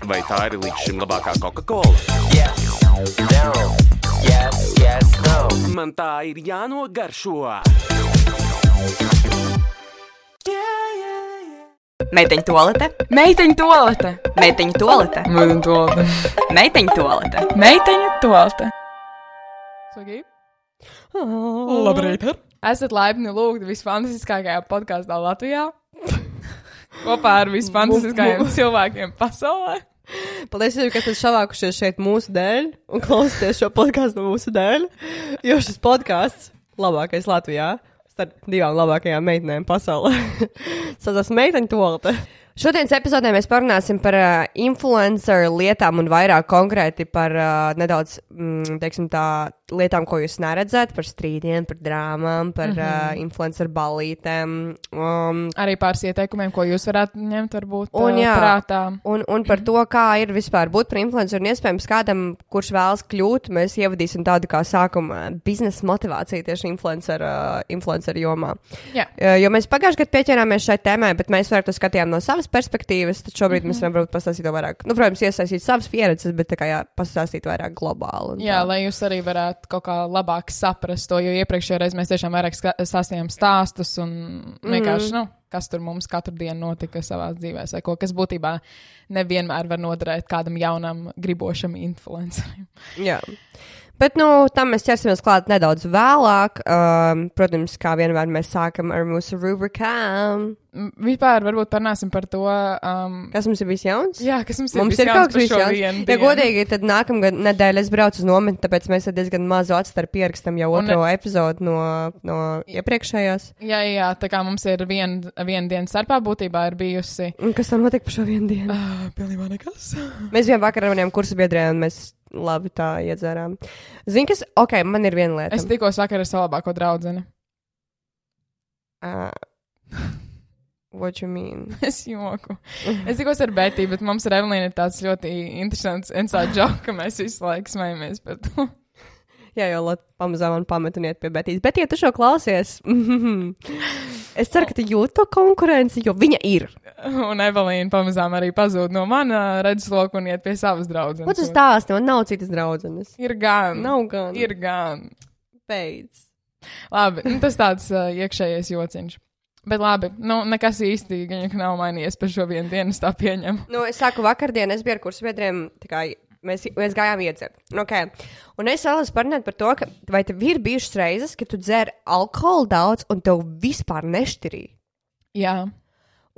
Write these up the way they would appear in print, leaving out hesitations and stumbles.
Vai tā ir līdz šim labākā Coca-Cola? Yes, no, yes, no. Man tā ir jānogaršo. Meiteņu toalete, Meiteņu toalete, meiteņu toalete, Meiteņu toalete, meiteņu toalete. Meiteņu toalete. Saki? Labrīt! Esat laipni lūgti visfantastiskākajā podkāstā Latvijā. Kopā ar visfantastiskākajiem cilvēkiem pasaulē. Paldies, ka esat savākušies šeit mūsu dēļ un klausieties šo podkāstu mūsu dēļ, jo šis podkāsts labākais Latvijā starp divām labākajām meitenēm pasaulē. Saucās Meiteņu toalete. Šodienas epizodē mēs parunāsim par influencer lietām un vairāk konkrēti par nedaudz, teiksim tā, lietām, ko jūs neredzat, par strīdiem, par drāmām, par influencer ballītēm. Arī pāris ieteikumiem, ko jūs varētu ņemt varbūt jā, prātā. Un par to, kā ir vispār būt par influenceru un iespējams kādam, kurš vēlas kļūt, mēs ievadīsim tādu kā sākuma biznesa motivāciju tieši influencer jomā. Jā. Jo mēs pagājušajā gadā pieķērāmies šai tēmai, bet mēs vairāk to skatījām no savas perspektīvas, tad šobrīd mēs varam varbūt pastāstīt to vairāk. Nu, protams, iesaistīt savas pieredzes, bet tā kā pastāstīt vairāk globāli. Jā, lai jūs arī varētu kaut kā labāk saprast to, jo iepriekšējā reizē mēs tiešām vairāk stāstījām stāstus un vienkārši, kas tur mums katru dienu notika savā dzīvēs vai ko, kas būtībā nevienmēr var noderēt kādam jaunam gribošam influencerim. Jā. Bet, tam mēs ķersimies klāt nedaudz vēlāk. Protams, kā vienmēr mēs sākam ar mūsu rubrikām. Vispār varbūt parunāsim par to, kas mums ir bijis jauns? Jā, kas mums ir jauns kaut kas jauns. Ja godīgi, tad nākamgad nedēļa es braucu uz nometni, tāpēc mēs diezgan mazu atstarpi pierakstam jau otro epizodu no iepriekšējās. Jā, tā kā mums ir viena diena starpā būtībā ir bijusi. Un kas tam notika par šo vienu dienu? Pilnībā nekas. Mēs bijām vakar ar maniem kursu biedriem, un mēs labi tā iedzērām. Zini, kas? Ok, man ir viena lieta. Es tikos vakar ar savu labāko draudzeni. What you mean? Es joku. Es tikos ar Betiju, bet mums ar Evelīnu ir tāds ļoti interesants inside joke, ka mēs visu laiku smajamies par to. Jā, jau pamazām man pamet un iet pie Betijas. Bet, ja tu šo klausies, es ceru, ka tu jūti to konkurenci, jo viņa ir. Un Evelīna pamazām arī pazūd no mana redzesloka un iet pie savas draudzenes. Ko tu stāsti? Man nav citas draudzenes. Ir gan. Nav gan. Ir gan. Beidz. Labi, tas tāds iekšējais jociņš. Bet labi, nekas īsti nav mainījies par šo vienu dienu, es tā pieņemu. Es sāku vakardien, es biju ar kursu biedriem, tā kā mēs gājām iedzert. Okay. Un es vēlos parunāt par to, ka vai tev ir bijušas reizes, ka tu dzer alkoholu daudz un tev vispār nešķirīja? Jā.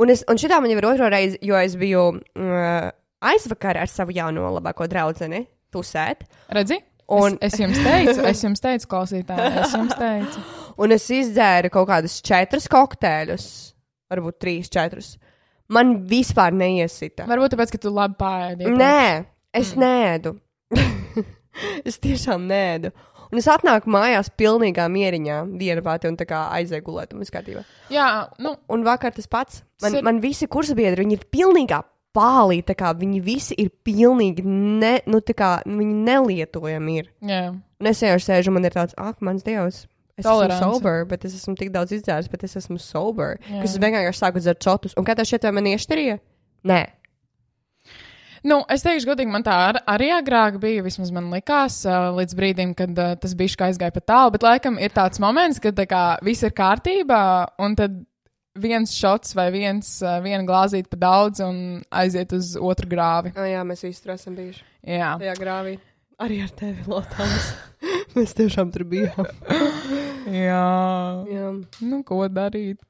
Un šitā man jau ir otro reizi, jo es biju aizvakar ar savu jauno labāko draudzeni tusēt. Redzi? Es jums teicu, klausītāji, es jums teicu. Un es izdzēru kaut kādus 4 kokteļus, varbūt 3, 4. Man vispār neiesita. Varbūt tāpēc, ka tu labi pāēdi. Nē, es nēdu. Es tiešām nēdu. Un es atnāku mājās pilnīgā mieriņā, viena pati un tā kā aizēju gulēt un viss kārtībā. Jā, Un vakar tas pats. Man visi kursabiedri, viņi ir pilnīgā pālī, tā kā viņi visi ir pilnīgi, tā kā viņi nelietojami ir. Jā. Un es jau sēžu, man ir tāds, mans Dievs, es Tolerance. esmu sober, bet es esmu tik daudz izdzēris, bet es esmu sober. Jā. Kas es vienkārši sāku dzert čotus. Un kā tev šķiet, vai man iešķirīja? Nē. Es teikšu godīgi, man tā arī agrāk bija, vismaz man likās, līdz brīdim, kad tas bišķi aizgāja pa tālu, bet laikam ir tāds moments, kad tā kā viss ir kārtībā, un tad viens šots vai viena glāzīte pa daudz un aiziet uz otru grāvi. Jā, mēs visi tur esam bijuši. Jā. Tajā grāvī. Arī ar tevi, Lotāns. Mēs tiešām tur bijām. Jā. Ko darīt?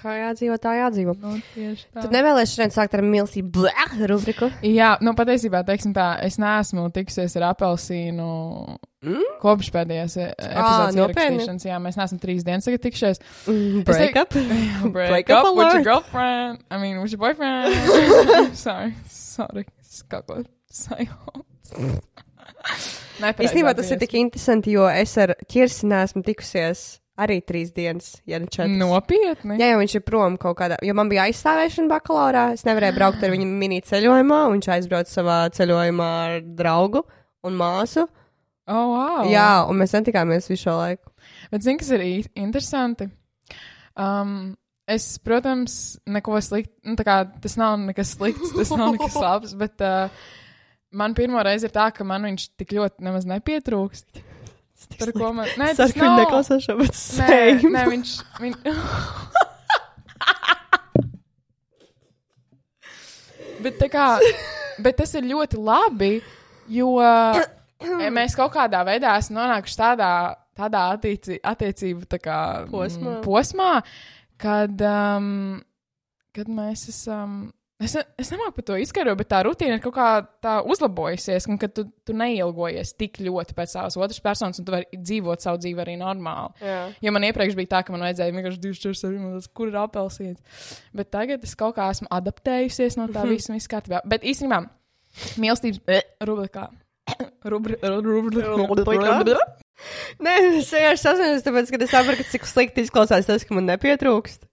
Kā jādzīvo, tā jādzīvo. Tieši tā. Tad nevēlies šodien sākt ar milzīgu rubriku? Jā, patiesībā, teiksim tā, es neesmu tikusies ar apelsīnu kopš pēdējās epizodes ierakstīšanas. Jā, mēs neesam 3 dienas tagad tikšies. Break up with your girlfriend. I mean, with your boyfriend. Sorry. Kaut ko sajauc. Īstenībā tas ir tik interesanti, jo es ar Kirsi neesmu tikusies arī 3 dienas, ja ne 4. Nopietni? Jā, jo viņš ir prom kaut kādā, jo man bija aizstāvēšana bakalaurā, es nevarēju braukt ar viņu mini ceļojumā, un viņš aizbrauc savā ceļojumā ar draugu un māsu. Oh, wow. Jā, un mēs netikāmies visu šo laiku. Bet zini, kas ir interesanti? protams, neko sliktu, nu, tā kā tas nav nekas slikts, tas nav nekas labs, bet man pirmo reizi ir tā, ka man viņš tik ļoti nemaz nepietrūkst. Par ko man... Nē, tas Sarkani nav... neklausās šo, bet same. Nē, viņš... Bet tā kā... Bet tas ir ļoti labi, jo mēs kaut kādā veidā esam nonākuši tādā attiecību tā kā posmā, kad mēs esam... Es nemāku par to izskaidrot, bet tā rutīna ir kaut kā tā uzlabojusies, un ka tu neilgojies tik ļoti pēc savas otras personas, un tu vari dzīvot savu dzīvi arī normāli. Jā. Jo man iepriekš bija tā, ka man vajadzēja vienkārši 24 minūtes, kur ir apelsīns. Bet tagad es kaut kā esmu adaptējusies no tā visa kārtībā. Bet īstenībā mīlestības rubrikā. Nē, es vienkārši sasniedzu, tāpēc, ka es saprotu, cik slikti izklausās tas, ka man nepietrūkst.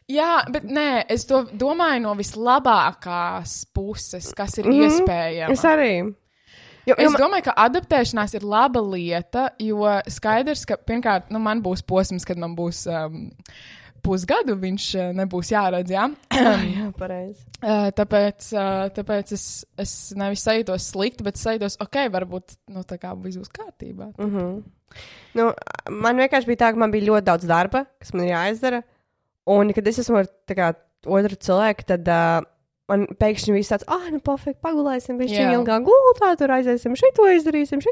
Jā, bet nē, es to domāju no vislabākās puses, kas ir iespējama. Es arī. Es domāju, ka adaptēšanās ir laba lieta, jo skaidrs, ka pirmkārt, man būs posms, kad man būs pusgadu, viņš nebūs jāredz, jā? Jā, pareizi. Tāpēc es nevis sajūtos slikti, bet sajūtos, varbūt, tā kā viss būs kārtībā. Man vienkārši bija tā, ka man bija ļoti daudz darba, kas man ir jāizdara. Un, kad es esmu ar otru cilvēku, tad man pēkšņi viss tāds, pofīgi, pagulēsim, viņš ilgāk gultā, tur aiziesim, šito izdarīsim.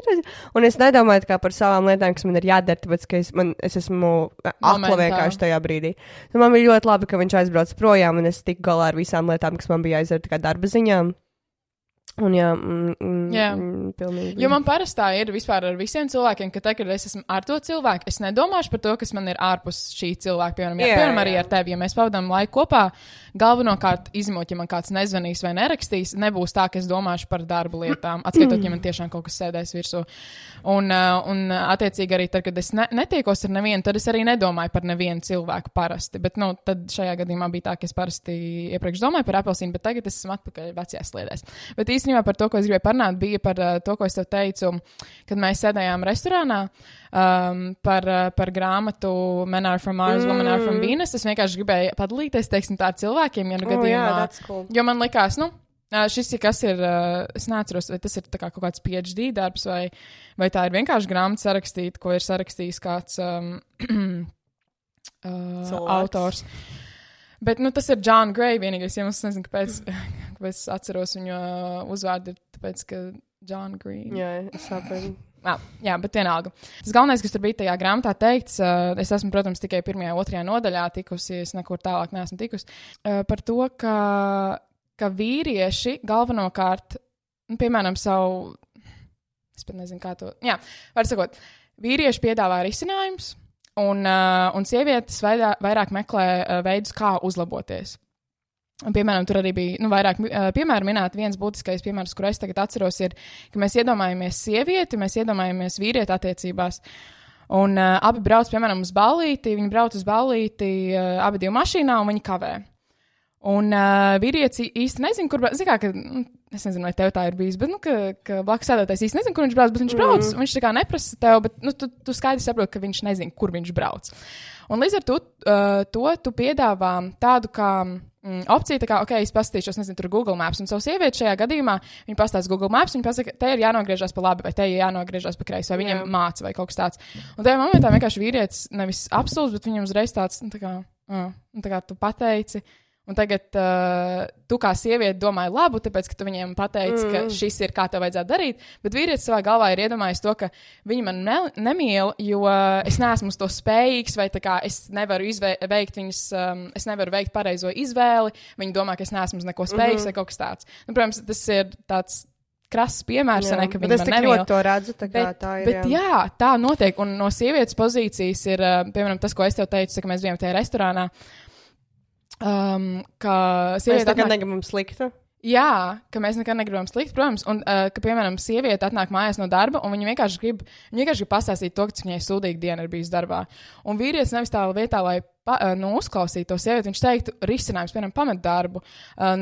Un es nedomāju par savām lietām, kas man ir jādara, tāpēc, ka es esmu akla vienkārši tajā brīdī. Un man bija ļoti labi, ka viņš aizbrauca projām, un es tiku galā ar visām lietām, kas man bija jāizdara darba ziņām. Un pilnīgi. Jo man parasti tā ir vispār ar visiem cilvēkiem, ka tad, kad es esmu ar to cilvēku, es nedomāšu par to, kas man ir ārpus šī cilvēka. Piemēram, arī ar tevi, ja mēs pavadām laiku kopā, galvenokārt izņemot, ja man kāds nezvanīs vai nerakstīs, nebūs tā, ka es domāšu par darba lietām, atskaitot, ja man tiešām kaut kas sēdēs virsū. Un attiecīgi arī tad, kad es netiekos ar nevienu, tad es arī nedomāju par nevienu cilvēku parasti. Bet, tad šajā gadījumā bija tā, ka es parasti iepriekš domāju par apelsīnu, bet tagad es esmu atpakaļ vecajās sliedēs. Bet īstenībā par to, ko es gribēju parunāt, bija par to, ko es tev teicu, kad mēs sēdējām restorānā par grāmatu Men Are From Mars, Women Are From Venus. Es vienkārši gribēju padalīties, teiksim, tā ar cilvēkiem, ja gadījumā, cool. Jo man likās, šis ir kas ir, es neatceros, vai tas ir tā kā kaut kāds PhD darbs, vai tā ir vienkārši grāmata sarakstīta, ko ir sarakstījis kāds autors. Bet, tas ir John Gray vienīgais, ja es nezinu, kāpēc es atceros viņu uzvārdu, tāpēc, ka John Green. Jā, es saprotu. Jā, bet vienalga. Tas galvenais, kas tur bija tajā grāmatā teikts, es esmu, protams, tikai 1. un 2. nodaļā tikusi, es nekur tālāk neesmu tikusi, par to, ka vīrieši galvenokārt, piemēram, savu, es pat nezinu, kā to, var sakot, vīrieši piedāvā risinājumus, un sievietes vairāk meklē veidus, kā uzlaboties. Un, piemēram, tur arī bija vairāk piemēru minēt. Viens būtiskais piemērs, kur es tagad atceros, ir, ka mēs iedomājamies sievieti, mēs iedomājamies vīrieti attiecībās. Un abi brauc, piemēram, uz ballīti, viņi brauc uz ballīti abi divi mašīnā un viņi kavē. Un vīrietis īsti nezinu, kur brauc. Zini kā, ka, es nezinu, vai tev tā ir bijis, bet, ka blakus sēdētājs īsti nezinu, kur viņš brauc, bet viņš brauc. Viņš tā kā neprasa tev, bet, tu skaidri saproti, ka viņš nezina, kur viņš brauc. Un līdz ar to tu piedāvā tādu kā opciju, tā kā, es paskatīšos, nezinu, tur Google Maps, un savu sievieti šajā gadījumā, viņa pastāsta Google Maps, viņa pasaka, te ir jānogriežās pa labi, vai te ir jānogriežās pa kreisi, vai viņam māca, vai kaut kas tāds. Un tajā momentā vienkārši vīrietis nevis apstulbs, bet viņam uzreiz tāds, tā kā tu pateici, un tagad tu kā sieviete domāji labu, tāpēc, ka tu viņiem pateici, ka šis ir kā tev vajadzētu darīt, bet vīrietis savā galvā ir iedomājies to, ka viņi man nemīl, jo es neesmu uz to spējīgs, vai tā kā es nevaru es nevaru veikt pareizo izvēli, viņi domā, ka es neesmu uz neko spējīgs, vai kaut kas tāds. Protams, tas ir tāds krass piemērs, ka viņi man nemīl. Bet es tik ļoti to redzu, tā kā tā ir. Bet jā, tā notiek, un no sievietes pozīcijas ir, piemēram, tas, ko es tev teicu, ka mēs bijām tajā restorānā, ka mēs nekad negribam sliktu. Jā, ka mēs nekad negribam sliktu, protams, un ka, piemēram, sieviete atnāk mājās no darba, un viņa vienkārši grib pastāstīt to, cik viņai sūdīga diena ir bijis darbā. Un vīrietis nevis tā vietā, lai uzklausītu to sievieti, viņš teiktu risinājums, piemēram, pamet darbu,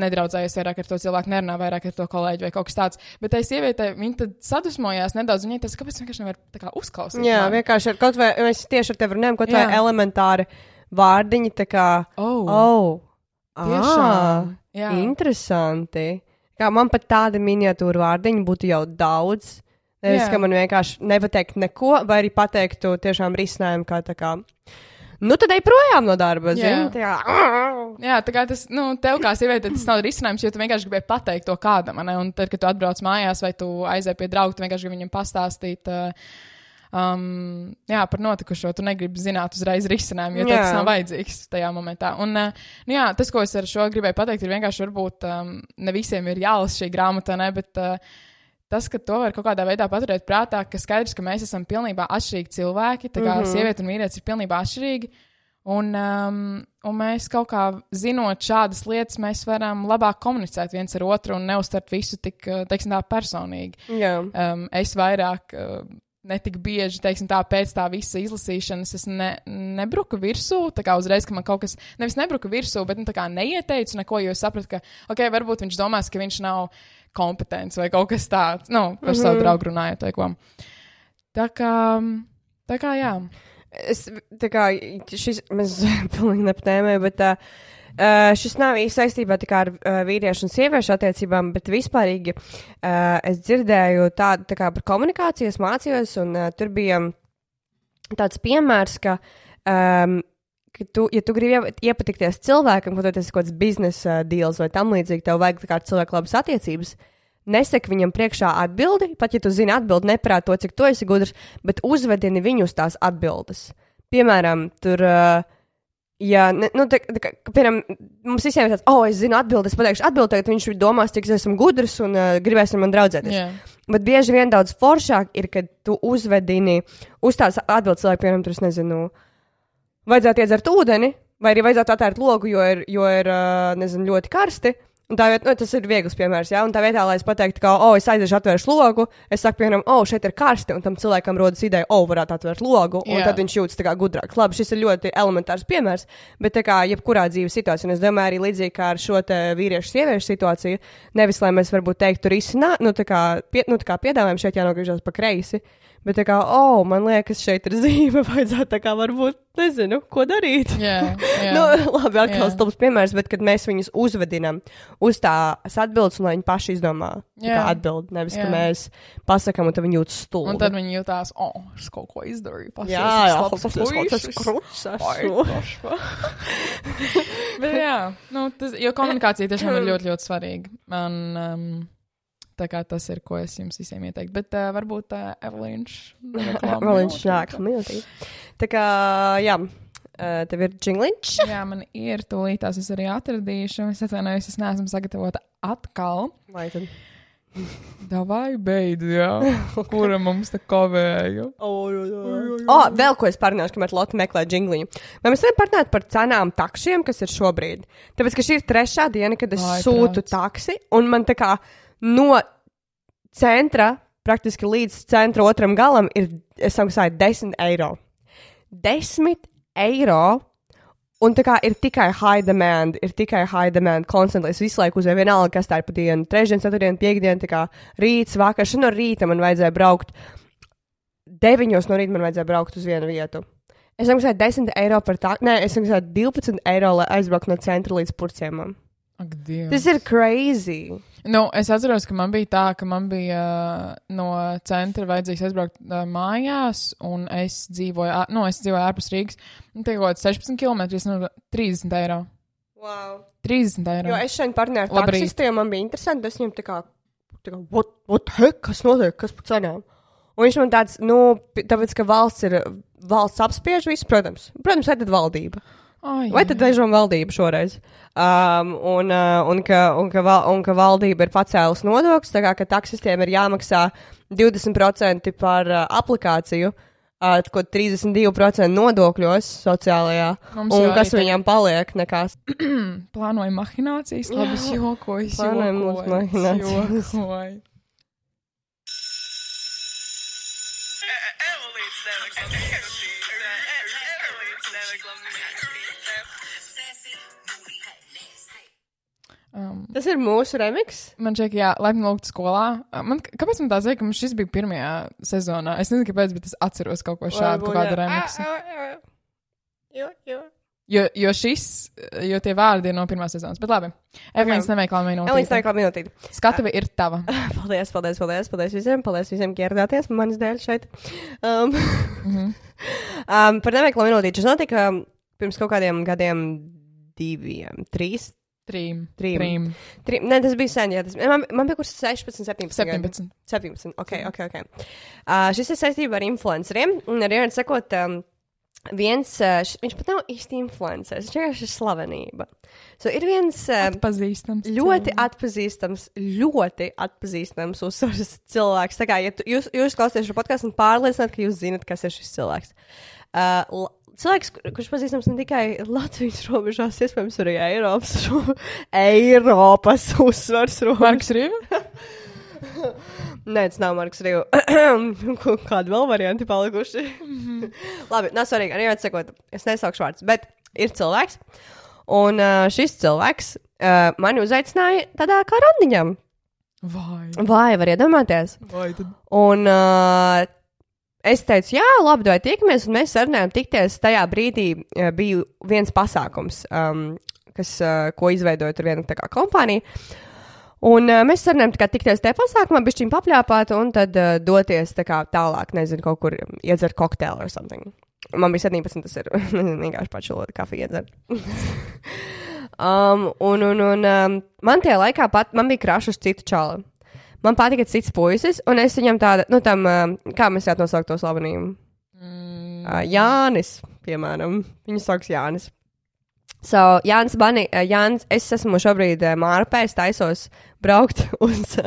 nedraudzējies vairāk ar to cilvēku, nerunā vairāk ar to kolēģi vai kaut kas tāds. Bet tai sievietei, viņa tad sadusmojās nedaudz, viņai tas, kāpēc vienkārši nevar tā kā uzklausīt. Jā, vienkārši kaut vai, mēs tieši ar tevi runājam, kaut vai elementāri. vārdiņi tā kā, Tiešām, jā. Interesanti. Kā man pat tāda miniatūra vārdiņa būtu jau daudz. Nevis, ka man vienkārši nepateikt neko, vai arī pateiktu tiešām risinājumu kā tā kā, nu tad ej projām no darba, zini? Jā, tā kā tas, tev kā sieviete, tas nav risinājums, jo tu vienkārši gribēji pateikt to kādam, ne? Un tad, kad tu atbrauc mājās vai tu aizēji pie draugu, tu vienkārši gribi viņam pastāstīt, par notikušo, tu negribi zināt uzreiz risinājumu, jo tas nav vajadzīgs tajā momentā. Un, tas, ko es ar šo gribēju pateikt, ir vienkārši varbūt ne visiem ir jālasa šī grāmata, ne, bet tas, ka to var kaut kādā veidā paturēt prātā, ka skaidrs, ka mēs esam pilnībā atšķirīgi cilvēki, tā kā sieviete un vīrietis ir pilnībā atšķirīgi, un mēs kaut kā zinot šādas lietas, mēs varam labāk komunicēt viens ar otru un neuztvert visu tik, teiksim tā, personīgi. Es vairāk netik bieži, teiksim tā, pēc tā visa izlasīšanas es nebruku virsū, tā kā uzreiz, ka man kaut kas, nevis nebruku virsū, bet tā kā neieteicu neko, jo es sapratu, ka, varbūt viņš domās, ka viņš nav kompetents vai kaut kas tāds, par savu draugu runājot vai ko. Tā kā, jā. Mēs pilnīgi nepatēmēju, bet šis nav īsti saistībā tikai ar vīriešu un sieviešu attiecībām, bet vispārīgi es dzirdēju tādu tā kā par komunikāciju, es mācījos, un tur bija tāds piemērs, ka ja tu gribi iepatikties cilvēkam, kaut tas ir kaut kāds biznesa deals vai tam līdzīgi, tev vajag tā kā cilvēku labas attiecības, nesek viņam priekšā atbildi, pat ja tu zini atbildi, neprāt to, cik tu esi gudrs, bet uzvedini viņu uz tās atbildes. Piemēram, tur... piemēram, mums visiem ir tāds, es zinu atbildi, es pateikšu atbildi, tagad viņš domās, cik es esmu gudrs un gribēs ar man draudzēties. Bet bieži vien daudz foršāk ir, kad tu uzvedini uz tās atbildes cilvēku, piemēram, tur es nezinu, vajadzētu iedzert ūdeni, vai arī vajadzētu atvērt logu, jo ir nezinu, ļoti karsti. Un tā vietā, tas ir viegls piemērs, jā, un tā vietā, lai es pateiktu, ka, es aiziešu atvēršu logu, es saku, piemēram, šeit ir karsti, un tam cilvēkam rodas ideja, varētu atvērt logu, un tad viņš jūtas tā kā gudrāks. Labi, šis ir ļoti elementārs piemērs, bet tā kā jebkurā dzīves situācijā, un es domāju arī līdzīgi kā ar šo te vīriešu-sieviešu situāciju, nevis, lai mēs varbūt teiktu risināt, tā kā piedāvājam šeit jānogriežās pa kreisi, bet tā kā, man liekas, šeit ir zīme, vajadzētu tā kā varbūt, nezinu, ko darīt. Labi, atkal stulbs piemērs, bet kad mēs viņus uzvedinam uz tās atbildes, un lai viņi paši izdomā atbildi, nevis, ka mēs pasakam, un tad viņi jūtas stulbi. Un tad viņi jūtās, es kaut ko izdarīju. Tas kruts. Bet jo komunikācija tiešām ir ļoti, ļoti svarīga. Un, tā kā tas ir, ko es jums visiem ieteiktu. Bet varbūt Evelīns nāk miltī. Tā kā, jā, tev ir džingliņš? Jā, man ir tūlītās, es arī atradīšu. Es atvainojos, es neesmu sagatavota atkal. Vai tad? Davai beidz, jā. Kura mums te kavēja? Vēl ko es parunāšu, kamēr Lotte meklē džingliņu. Vai mēs varam parunāt par cenām takšiem, kas ir šobrīd? Tāpēc, ka šī ir 3. diena, kad es sūtu taksi, un man tā kā no centra, praktiski līdz centra otram galam, es samaksāju 10 eiro. 10 eiro, un tā kā ir tikai high demand, konstantli. Es visu laiku uzvēju vienalga, kas tā ir pa dienu. 3, 4, 5 dienu, tā kā rīts, vakar, no rīta man vajadzēja braukt. 9 no rīta man vajadzēja braukt uz vienu vietu. Es samaksāju 10 eiro par tā, es samaksāju 12 eiro, lai aizbrauktu no centra līdz Purciemam. Ak, Dievs. Tas ir crazy. Es atceros, ka man bija tā, ka man bija no centra vajadzīgs aizbraukt mājās, un es dzīvoju ārpus Rīgas. Tie kaut kāds 16 km, 30 eiro. Wow. 30 eiro. Jo es šeit parunāju ar taksistiem, man bija interesanti, es viņam tā kā what the heck, kas notiek, kas par cenām? Un viņš man tāds, tāpēc, ka valsts apspiež visu, protams, vai tad valdība? Vai tad dažām valdība šoreiz? Un ka valdība ir pacēlus nodokļus, tā kā ka taksistiem ir jāmaksā 20% par aplikāciju, ko 32% nodokļos sociālajā, un kas viņam paliek nekās. Plānoju mahinācijas, labi, es jokoju. Plānoju mahinācijas. Tas ir mūsu remix. Man šķiet, jā, laipni lūgt skolā. Kāpēc man tā zina, ka šis bija pirmajā sezonā? Es nezinu, kāpēc, bet es atceros kaut ko šādu, kaut kādu remixu. Jo tie vārdi ir no pirmās sezonas. Bet labi, Evelīns neveikla minūtīte. Evelīns neveikla minūtīte. Skatuve ir tava. Paldies visiem, ka ieradāties manis dēļ šeit. Par neveikla minūtīti. Tas notika pirms kaut kādiem gadiem 3. Nē, tas bija sen, jā. Man bija kurs 16, 17. Ok. Šis ir saistībā ar influenceriem. Un arī var sakot, viņš pat nav īsti influenceris. Viņš vienkārši ir slavenība. So, ir viens ļoti atpazīstams uzsvars cilvēks. Tā kā, ja jūs klausāties šo podcastu un pārliecināt, ka jūs zinat, kas ir šis cilvēks. Cilvēks, kurš pazīstams ne tikai Latvijas robežās, iespējams arī Eiropas uzsvars robežās. Marks Rīva? Nē, tas nav Marks Rīva. Kādi vēl varianti palikuši? Labi, nav svarīgi. Arī atsakot, es nesaukšu vārdus, bet ir cilvēks. Un šis cilvēks mani uzaicināja tādā kā randiņam. Vai, var iedomāties? Vai tad? Un es teicu, jā, labi, vai tiekamies, un mēs sarunājām tikties. Tajā brīdī bija viens pasākums, ko izveidoja tur viena tā kā kompānija. Un mēs sarunājām tikties tajā pasākumā, bišķiņ papļāpāt, un tad doties tā kā tālāk, nezinu, kaut kur iedzert kokteili or something. Man bija 17, tas ir vienkārši pačulot kafiju iedzert. Man tajā laikā man bija krašs uz citu čalu. Man patika cits puisis, un es viņam tāda, kā mēs varētu nosaukt to slavenību? Jānis, piemēram. Viņu sauks Jānis. So, Jānis, es esmu šobrīd Mārpē, es taisos braukt uz,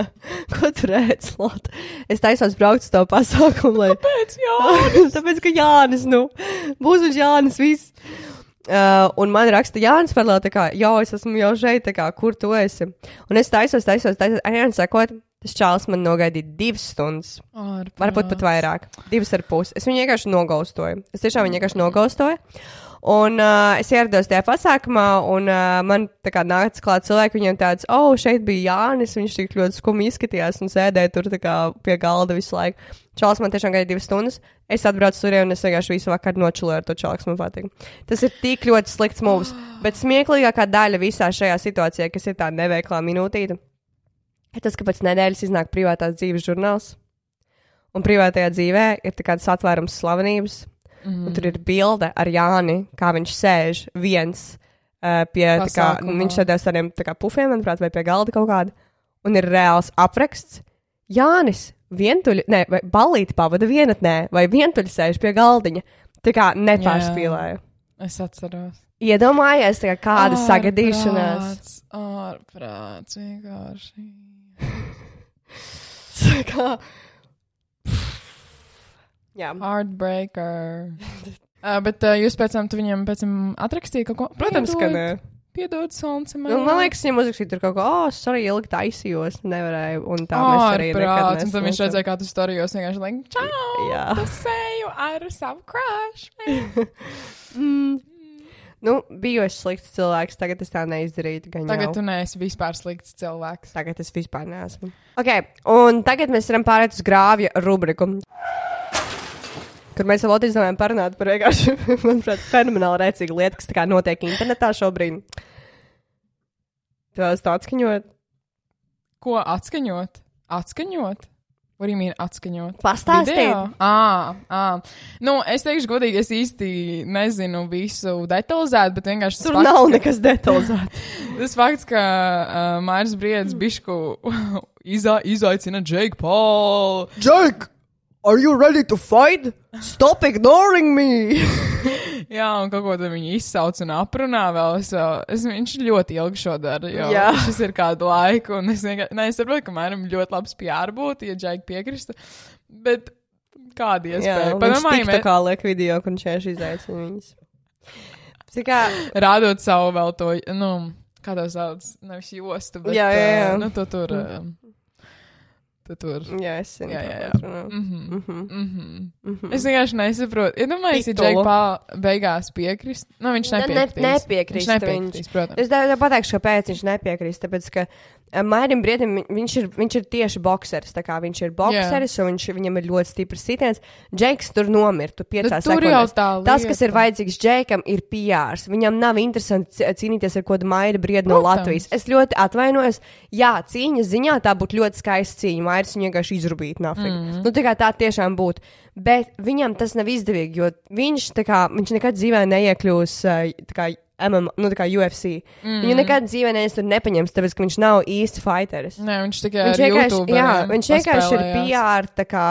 ko tu redz, Lot? Es taisos braukt uz to pasākumu, lai... Kāpēc Jānis? Tāpēc, ka Jānis, būs uz Jānis viss. Un man raksta Jānis par tā kā, es esmu jau šeit, tā kā, kur tu esi? Un es taisos, Jānis sakot, tas čāls man nogaidīja 2 stundas. Varbūt pat vairāk. 2,5. Es viņu vienkārši nogaustoju. Es tiešām viņu vienkārši nogaustoju. Un es ierados tajā pasākumā, un man tā kā nāca klāt cilvēki, viņiem tāds, šeit bija Jānis, viņš tik ļoti skumi izskatījās un sēdēja tur tā kā pie galda visu laiku. Čāls man tiešām gaidīja 2 stundas. Es atbraucu tur, un es vienkārši visu vakaru nočuloju ar to čālu, kas man patīk. Tas ir tik ļoti slikts mūvs, bet smieklīgākā daļa visā šajā situācijā, kas ir tā neveiklā minūtīte, ir tas, ka pēc nedēļas iznāk privātās dzīves žurnāls. Un privātajā dzīvē ir tā kāds atvērums slavenības. Un tur ir bilde ar Jāni, kā viņš sēž viens pie, tā kā, viņš sēdēs tādiem tā kā pufiem, manuprāt, vai pie galda kaut kāda. Un ir reāls apraksts. Jānis vai ballīti pavada vienatnē, vai vientuļi sēž pie galdiņa. Tā kā nepārspīlēju. Es atceros. Iedomājies, tā kā kāda sagadīšanās. Ārprāts, vienkārši. Tā kā... Jā. Heartbreaker. Bet jūs pēc tam viņam atrakstīja kaut ko? Protams, ka nē. Piedod, Sonce. Man liekas, viņam uzrakstīt tur kaut ko, sorry, ilgi taisījos, nevarēju, un tā mēs arī nekad un tad viņš redzēja, kā tu storijos vienkārši like, čau, tu seju ar savu crush. Biju es slikts cilvēks, tagad es tā neizdarītu. Tagad tu neesi vispār slikts cilvēks. Tagad es vispār neesmu. Ok, un tagad mēs varam pārēt uz grāvja rubriku. Kur mēs ar Lotu izdomājam parunāt par vienkārši, manuprāt, fenomenāli rēcīgu lietu, kas tā kā notiek internetā šobrīd. Tu vēlas to atskaņot? Ko atskaņot? Atskaņot? What do you mean atskaņot? Pastāstīt. Es teikšu godīgi, es īsti nezinu visu detalizēt, bet vienkārši tur nav nekas detalizēt. Tas fakts, ka Māris Briedis bišku izaicina Jake Paul. Jake! Are you ready to fight? Stop ignoring me! Jā, un kaut ko tad viņi izsauc un aprunā vēl. Viņš ļoti ilgi šo dara, jo šis ir kādu laiku. Un es saprotu, ka man ļoti labs PR būtu, ja Džaigi piekristu. Bet kāda iespēja? Viņš TikTokā liek video, kur viņš vienkārši izaicina viņus. Rādot savu vēl to, kā to sauc, nevis jostu, bet jā. To tur... tu tur. Jā, es zinu. Jā. Mhm. Es vienkārši nesaprotu. Iedomājieties, ja Titulu. Jake Paul beigās piekrist. Nu, viņš nepiekritīs. Viņš nepiekritīs, protams. Es tev pateikšu, kāpēc viņš nepiekrist. Tāpēc, ka Mairim Briedim, viņš ir tieši bokseris. Tā kā viņš ir bokseris, un viņam ir ļoti stiprs sitiens. Džeiks tur nomirtu 5 Bet tur jau sekundēs. tā Tas, kas ir lieta. vajadzīgs Džeikam, ir PRs. Viņam nav interesanti cīnīties ar kādu Mairi Briedu no Protams. Latvijas. Es ļoti atvainojos. Jā, cīņas ziņā tā būtu ļoti skaista cīņa. Mairis viņu vienkārši izrubīt nafīgi. Nu, tā tiešām būtu. Bet viņam tas nav izdevīgi, jo viņš nekad dzīvē neiekļūs tā kā MMA, nu tā kā UFC. Viņu nekad dzīvē neviens tur nepaņems, tāpēc, ka viņš nav īsti fighteris. Nē, viņš tikai Viņš ar vienkārši, YouTube. jā, viņš vienkārši ir PR, tā kā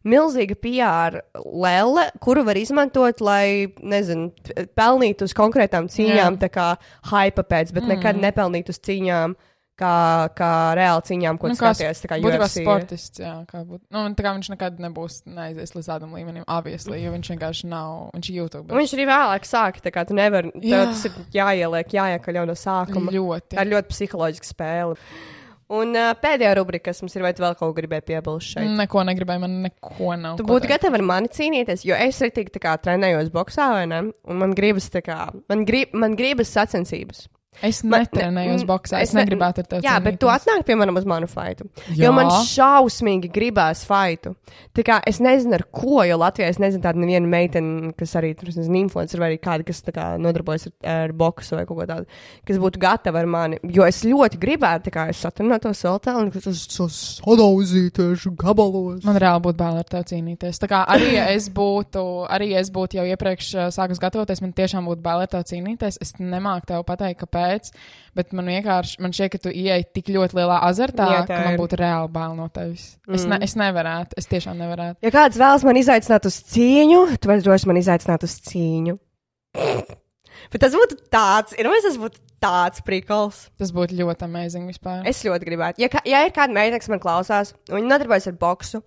milzīga PR lele, kuru var izmantot, lai, nezinu, pelnītu uz konkrētām cīņām, tā kā hype pēc, bet nekad nepelnītu uz cīņām, kā reāli cīņām, ko skaties, tā kā būtībā UFC. sportists, jā, kā būt. Nu, tā kā viņš nekad neaizies līdz tādam līmenim, obviously, jo viņš vienkārši nav, viņš ir YouTube. Un viņš arī vēlāk sāka, tā kā tu nevari, tev tas ir jāiekaļ jau no sākuma. Ļoti. Tā ir ļoti psiholoģiska spēle. Un pēdējā rubrika, kas mums ir, vai tu vēl kaut ko gribēji piebilst šeit? Neko negribēju, man neko nav. Tu būtu gatava ar mani cīnīties, jo es arī tā kā trenējos boksā, vai ne? Un man gribas tā kā, man gribas sacensības. Es netrenējos boksā, es negribētu ar tevi. Jā, bet tu atnāk, piemēram, uz manu faitu. Jā. Jo man šausmīgi gribās faitu. Tā kā es nezinu, ar ko, jo Latvijā es nezinu tādu nevienu meiteni, kas arī, tur, es nezinu, influencer vai arī kāda, kas tā kā nodarbojas ar boksu vai kaut ko tādu, kas būtu gatava ar mani. Jo es ļoti gribētu, tā kā es satrunātos vēl tā, un es sadauzītiešu gabalos. Man reāli būtu bail ar tevi cīnīties. Tā kā arī es būtu jau iepriekš sākus gatavoties, man tiešām būtu bail ar tevi cīnīties. Es nemāku tev pateikt, kāpēc. Bet man šķiet, ka tu ieej tik ļoti lielā azartā, Jā, ka man būtu reāli bail no tevis. Es nevarētu, es tiešām nevarētu. Ja kāds vēlas man izaicināt uz cīņu, tu vari droši man izaicināt uz cīņu. Bet tas būtu tas būtu tāds prikols. Tas būtu ļoti amazing vispār. Es ļoti gribētu. Ja ir kāda meitene, kas man klausās, un viņa nodarbojas ar boksu,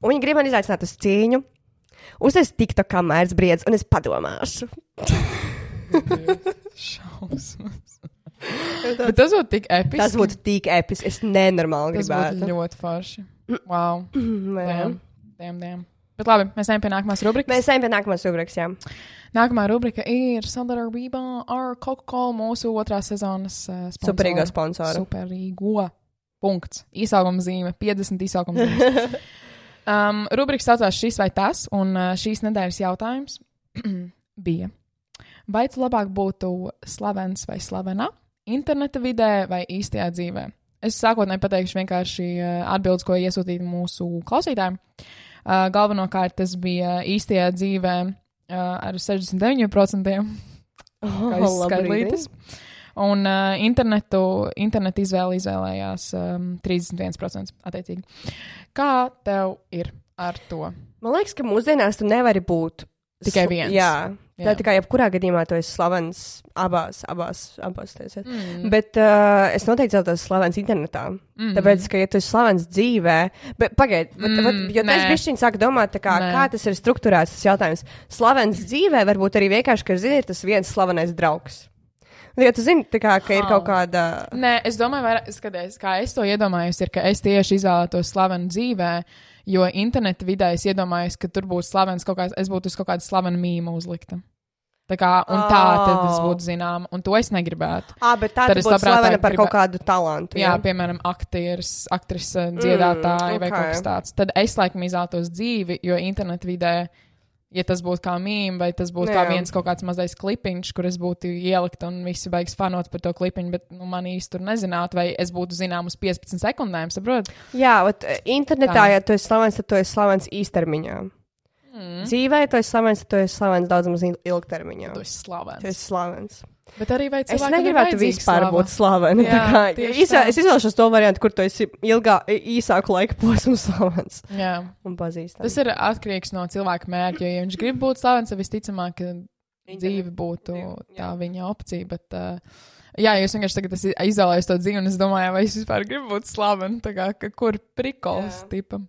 un viņa grib man izaicināt uz cīņu, uztais TikTok kā Mairis Briedis, un es padomāšu. Šausmas. Bet tas būtu tik episki. Tas būtu tik episki. Es nenormāli Tas gribētu. būtu ļoti forši. Wow. Jā. Damn. Bet labi, mēs ejam pie nākamās rubrikas. Mēs ejam pie nākamās rubrikas, jā. Nākamā rubrika ir Sandra Rība ar Coca-Cola, mūsu otrās sezonas sponsora. Superīgo sponsoru. Superīgo. Punkts. Īsākuma zīme. 50 īsākuma zīme. Rubrika saucās Šis vai tas, un šīs nedēļas jautājums bija. Vai tu labāk būtu slavens vai slavena interneta vidē vai īstajā dzīvē? Es sākotnēji pateikšu vienkārši atbildes, ko iesūtīja mūsu klausītājiem. Galvenokārt tas bija īstajā dzīvē ar 69%. Kā skaitlītis. Un internetu izvēlējās 31%. Attiecīgi. Kā tev ir ar to? Man liekas, ka mūsdienās tu nevari būt Tikai viens. Jā. Tā Jā. tikai jebkurā gadījumā tu esi slavens abās tiesās. Bet es noteikti celtos slavens internetā. Tāpēc, ka ja tu esi slavens dzīvē, bet pagaid, jo tas bišķiņ sāk domāt, tā kā tas ir strukturēts tas jautājums. Slavens dzīvē varbūt arī vienkārši, ka zini, ir tas viens slavenais draugs. Ja tu zini, tā kā, ka ir kaut kāda... Nē, es domāju, skaties, kā es to iedomājos, ir, ka es tieši izvēlētos slavenu dzīvē, jo interneta vidē es iedomājos, ka tur būs slavens es būtu uz kaut kādu slavenu mīmu uzlikta. Tā kā, un tā tad es būtu zinām, un to es negribētu. Bet tā Tad tu es būtu labprāt slavena par gribētu- kaut kādu talantu. Jā, piemēram, aktrise, dziedātāji vai kaut kas tāds. Tad es laikam izvēlētos dzīvi, jo interneta vidē, ja tas būtu kā mīm, vai tas būtu kā viens kaut kāds mazais klipiņš, kur es būtu ielikt un visi beigas fanot par to klipiņu, bet man īsti tur nezinātu, vai es būtu zinām uz 15 sekundēm, saprot? Jā, internetā, Tā. ja tu esi slavens, tad tu esi slavens īstermiņā. Dzīvē, tu esi slavens, tad tu esi slavens daudz maz ilgtermiņā. Tu esi slavens. Tu esi slavens. Bet arī vai Es cilvēkam negribētu ir vajadzīga vispār slava? būt slavena. Jā, tieši tā. Es izvēlēšos to variantu, kur tu esi īsāku laika posmu slavens Jā. un pazīstams. Tas ir atkarīgs no cilvēka mērķa, jo ja viņš grib būt slavens, tad visticamāk, ka dzīve būtu tā viņa opcija, bet jā, jūs vienkārši tagad izvēlējos to dzīvi, un es domāju, vai es vispār gribu būt slavena, tā kā, kur prikols tipam.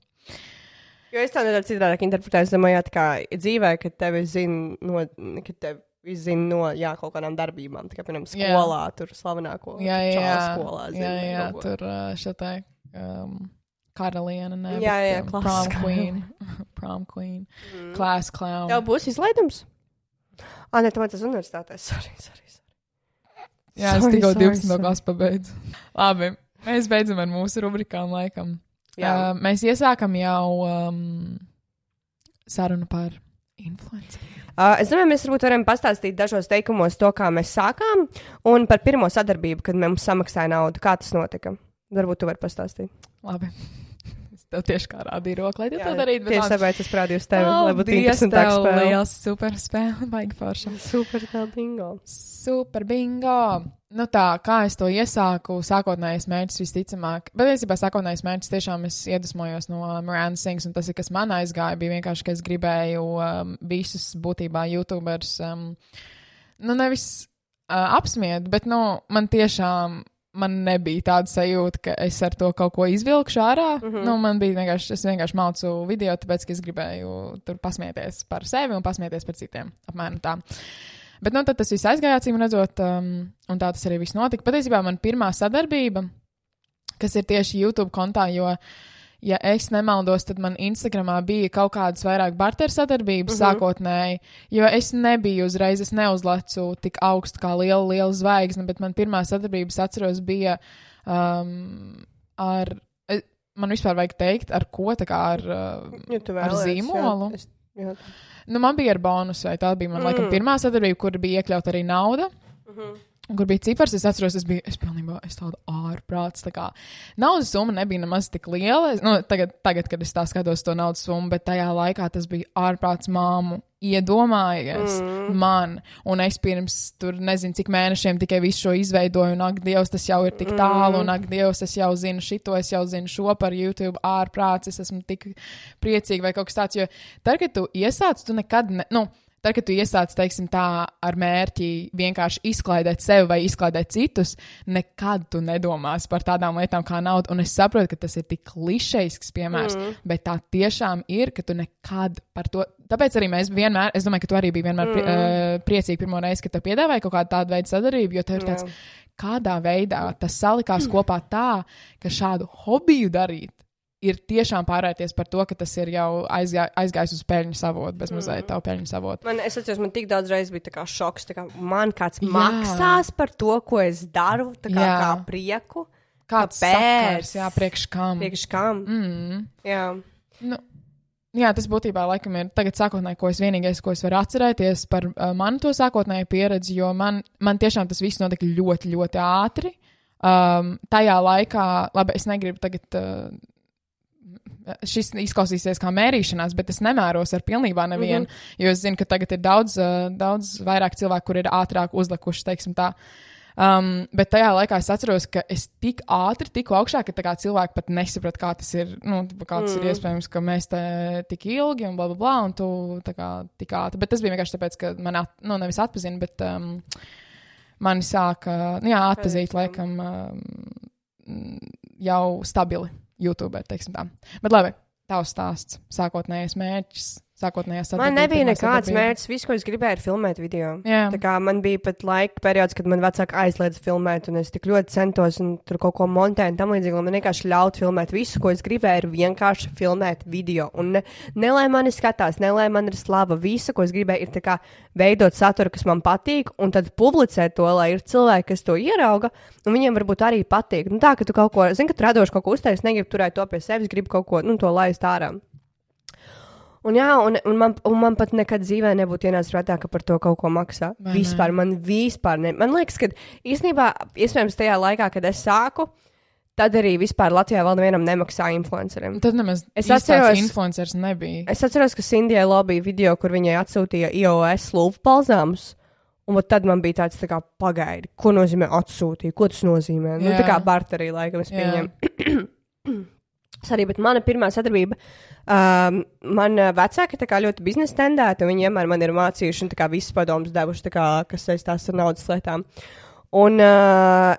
Jo es tā nedaudz citādāk interpretēju, es domāju, tā kā dzīvē, kad tevi zina no kaut kādām darbībām, tā kā, piemēram, skolā, tur slavenāko Jā, čālu skolā. jā, tur šatai, karaliene, ne? Jā, bet, class prom clown. queen. Prom queen. Class clown. Tev būs izlaidums? Nē, tu man tas universitātē. Sorry. Jā, es Sorry, tikko sorry, 12. sorry. klasu pabeidzu. Labi, mēs beidzam ar mūsu rubrikām laikam. Jā. Mēs iesākam jau sarunu par influenceriem. Es domāju, mēs varbūt varam pastāstīt dažos teikumos to, kā mēs sākām, un par pirmo sadarbību, kad mums samaksāja naudu. Kā tas notika? Varbūt tu vari pastāstīt. Labi. Es tev tieši kā rādīju roku, lai tu to darītu. Tieši tāpēc es parādīju uz tevi, lai būtu interesantāk tev spēle. liels super spēle, baigi forša. Super tā bingo. Super bingo! Nu tā, kā es to iesāku, sākotnējais mērķis visticamāk, bet īstenībā sākotnējais mērķis tiešām es iedvesmojos no Miranda Sings, un tas ir, kas man aizgāja, bija vienkārši, ka es gribēju visus būtībā YouTubers, nevis apsmiet, bet, man tiešām, man nebija tāda sajūta, ka es ar to kaut ko izvilkšu ārā, man bija vienkārši, es vienkārši maucu video, tāpēc, ka es gribēju tur pasmieties par sevi un pasmieties par citiem, apmēram tā. Bet, tad tas viss aizgāja, acīm redzot, un tā tas arī viss notika. Patiesībā man pirmā sadarbība, kas ir tieši YouTube kontā, jo, ja es nemaldos, tad man Instagramā bija kaut kādas vairāk barter sadarbības sākotnēji, jo es nebiju uzreiz, es neuzlecu tik augstu kā liela zvaigzne, bet man pirmā sadarbības atceros bija ar, man vispār vajag teikt, ar ko, tā kā ar zīmolu. Jā. Man bija ar bonusu, vai tā bija, man laikam, pirmā sadarbība, kur bija iekļauta arī nauda, kur bija cipars, es atceros, es pilnībā, es tādu ārprāts, tā kā, naudas summa nebija nemaz tik liela, tagad, kad es tā skatos to naudas summu, bet tajā laikā tas bija ārprāts māmu iedomājies man, un es pirms tur nezinu, cik mēnešiem tikai visu šo izveidoju, un ak, Dievs, tas jau ir tik tālu, un ak, Dievs, es jau zinu šito, es jau zinu šo par YouTube ārprāts, es esmu tik priecīga vai kaut kas tāds, jo tad, kad tu iesāc, tu nekad, tad, kad tu iesāc, teiksim tā, ar mērķi vienkārši izklaidēt sevi vai izklaidēt citus, nekad tu nedomās par tādām lietām kā nauda, un es saprotu, ka tas ir tik klišejisks piemērs, bet tā tiešām ir, ka tu nekad par to, tāpēc arī mēs vienmēr, es domāju, ka tu arī biji vienmēr priecīgi pirmo reizi, kad tev piedāvāja kaut kādu tādu veidu sadarbību, jo tev ir tāds, kādā veidā tas salikās kopā tā, ka šādu hobiju darīt, ir tiešām pārvērties par to, ka tas ir jau aizgājis uz peļņas avotu, bez mazliet tavu peļņas avotu. Es atceros, man tik daudz reizes bija tā kā šoks, tā kā man kāds maksās par to, ko es daru, tā kā prieku. Kāds sakars, priekš kam. Priekš kam. Jā. Jā, tas būtībā laikam ir tagad sākotnēji, ko es vienīgais, ko es varu atcerēties par manu to sākotnēju pieredzi, jo man tiešām tas viss notika ļoti, ļoti ātri. Tajā laikā, labi, es negribu tagad... Šis izklausīsies kā mērīšanās, bet es nemēros ar pilnībā nevienu, jo es zinu, ka tagad ir daudz vairāk cilvēku, kur ir ātrāk uzlikuši, teiksim tā. Bet tajā laikā es atceros, ka es tik ātri tiku augšā, ka tā kā cilvēki pat nesaprot, kā tas ir, kā tas ir iespējams, ka mēs te tik ilgi un bla, bla, bla, un tu tā kā tik ātri. Bet tas bija vienkārši tāpēc, ka man, nevis atpazina, bet mani sāka, atpazīt, laikam, jau stabili. YouTuber, teiksim tā. Bet labi, tavs stāsts, sākotnējais mērķis, sākotnējā sadarbība. Man nebija nekāds mērķis, viss, ko es gribēju, ir filmēt video. Jā. Tā kā man bija pat laika periods, kad man vecāki aizliedza filmēt, un es tik ļoti centos un tur kaut ko montēt un tam līdzīgi, lai man vienkārši ļaut filmēt. Visu, ko es gribēju, ir vienkārši filmēt video. Un ne lai mani skatās, ne lai man ir slava. Visu, ko es gribēju, ir tā kā veidot saturu, kas man patīk, un tad publicēt to, lai ir cilvēki, kas to ierauga, un viņiem varbūt arī patīk. Tā, ka tu kaut ko, zini, ka tu radoši kaut ko uztaisi, negribi turēt to pie sevis, gribi kaut ko, to laist ārā. Un man pat nekad dzīvē nebūtu ienācis prātā, ka par to kaut ko maksā. Vispār, man liekas, ka īstenībā, iespējams, tajā laikā, kad es sāku, tad arī vispār Latvijā vēl nevienam nemaksā influenceriem. Tad nemaz tāds influencers nebija. Es atceros, ka Sindijai lobija video, kur viņai atsūtīja iOS lūpu palzāmus. Un tad man bija tāds, tā kā, pagaidi, ko nozīmē atsūtīt, ko tas nozīmē. Tā kā barterī, laikam, es pieņemu. Arī, bet mana pirmā sadarbība, man vecāki tā kā ļoti biznesa tendēti, un viņi vienmēr man ir mācījuši un tā kā visas padomus devuši, tā kā, kas saistās ar naudas lietām. Un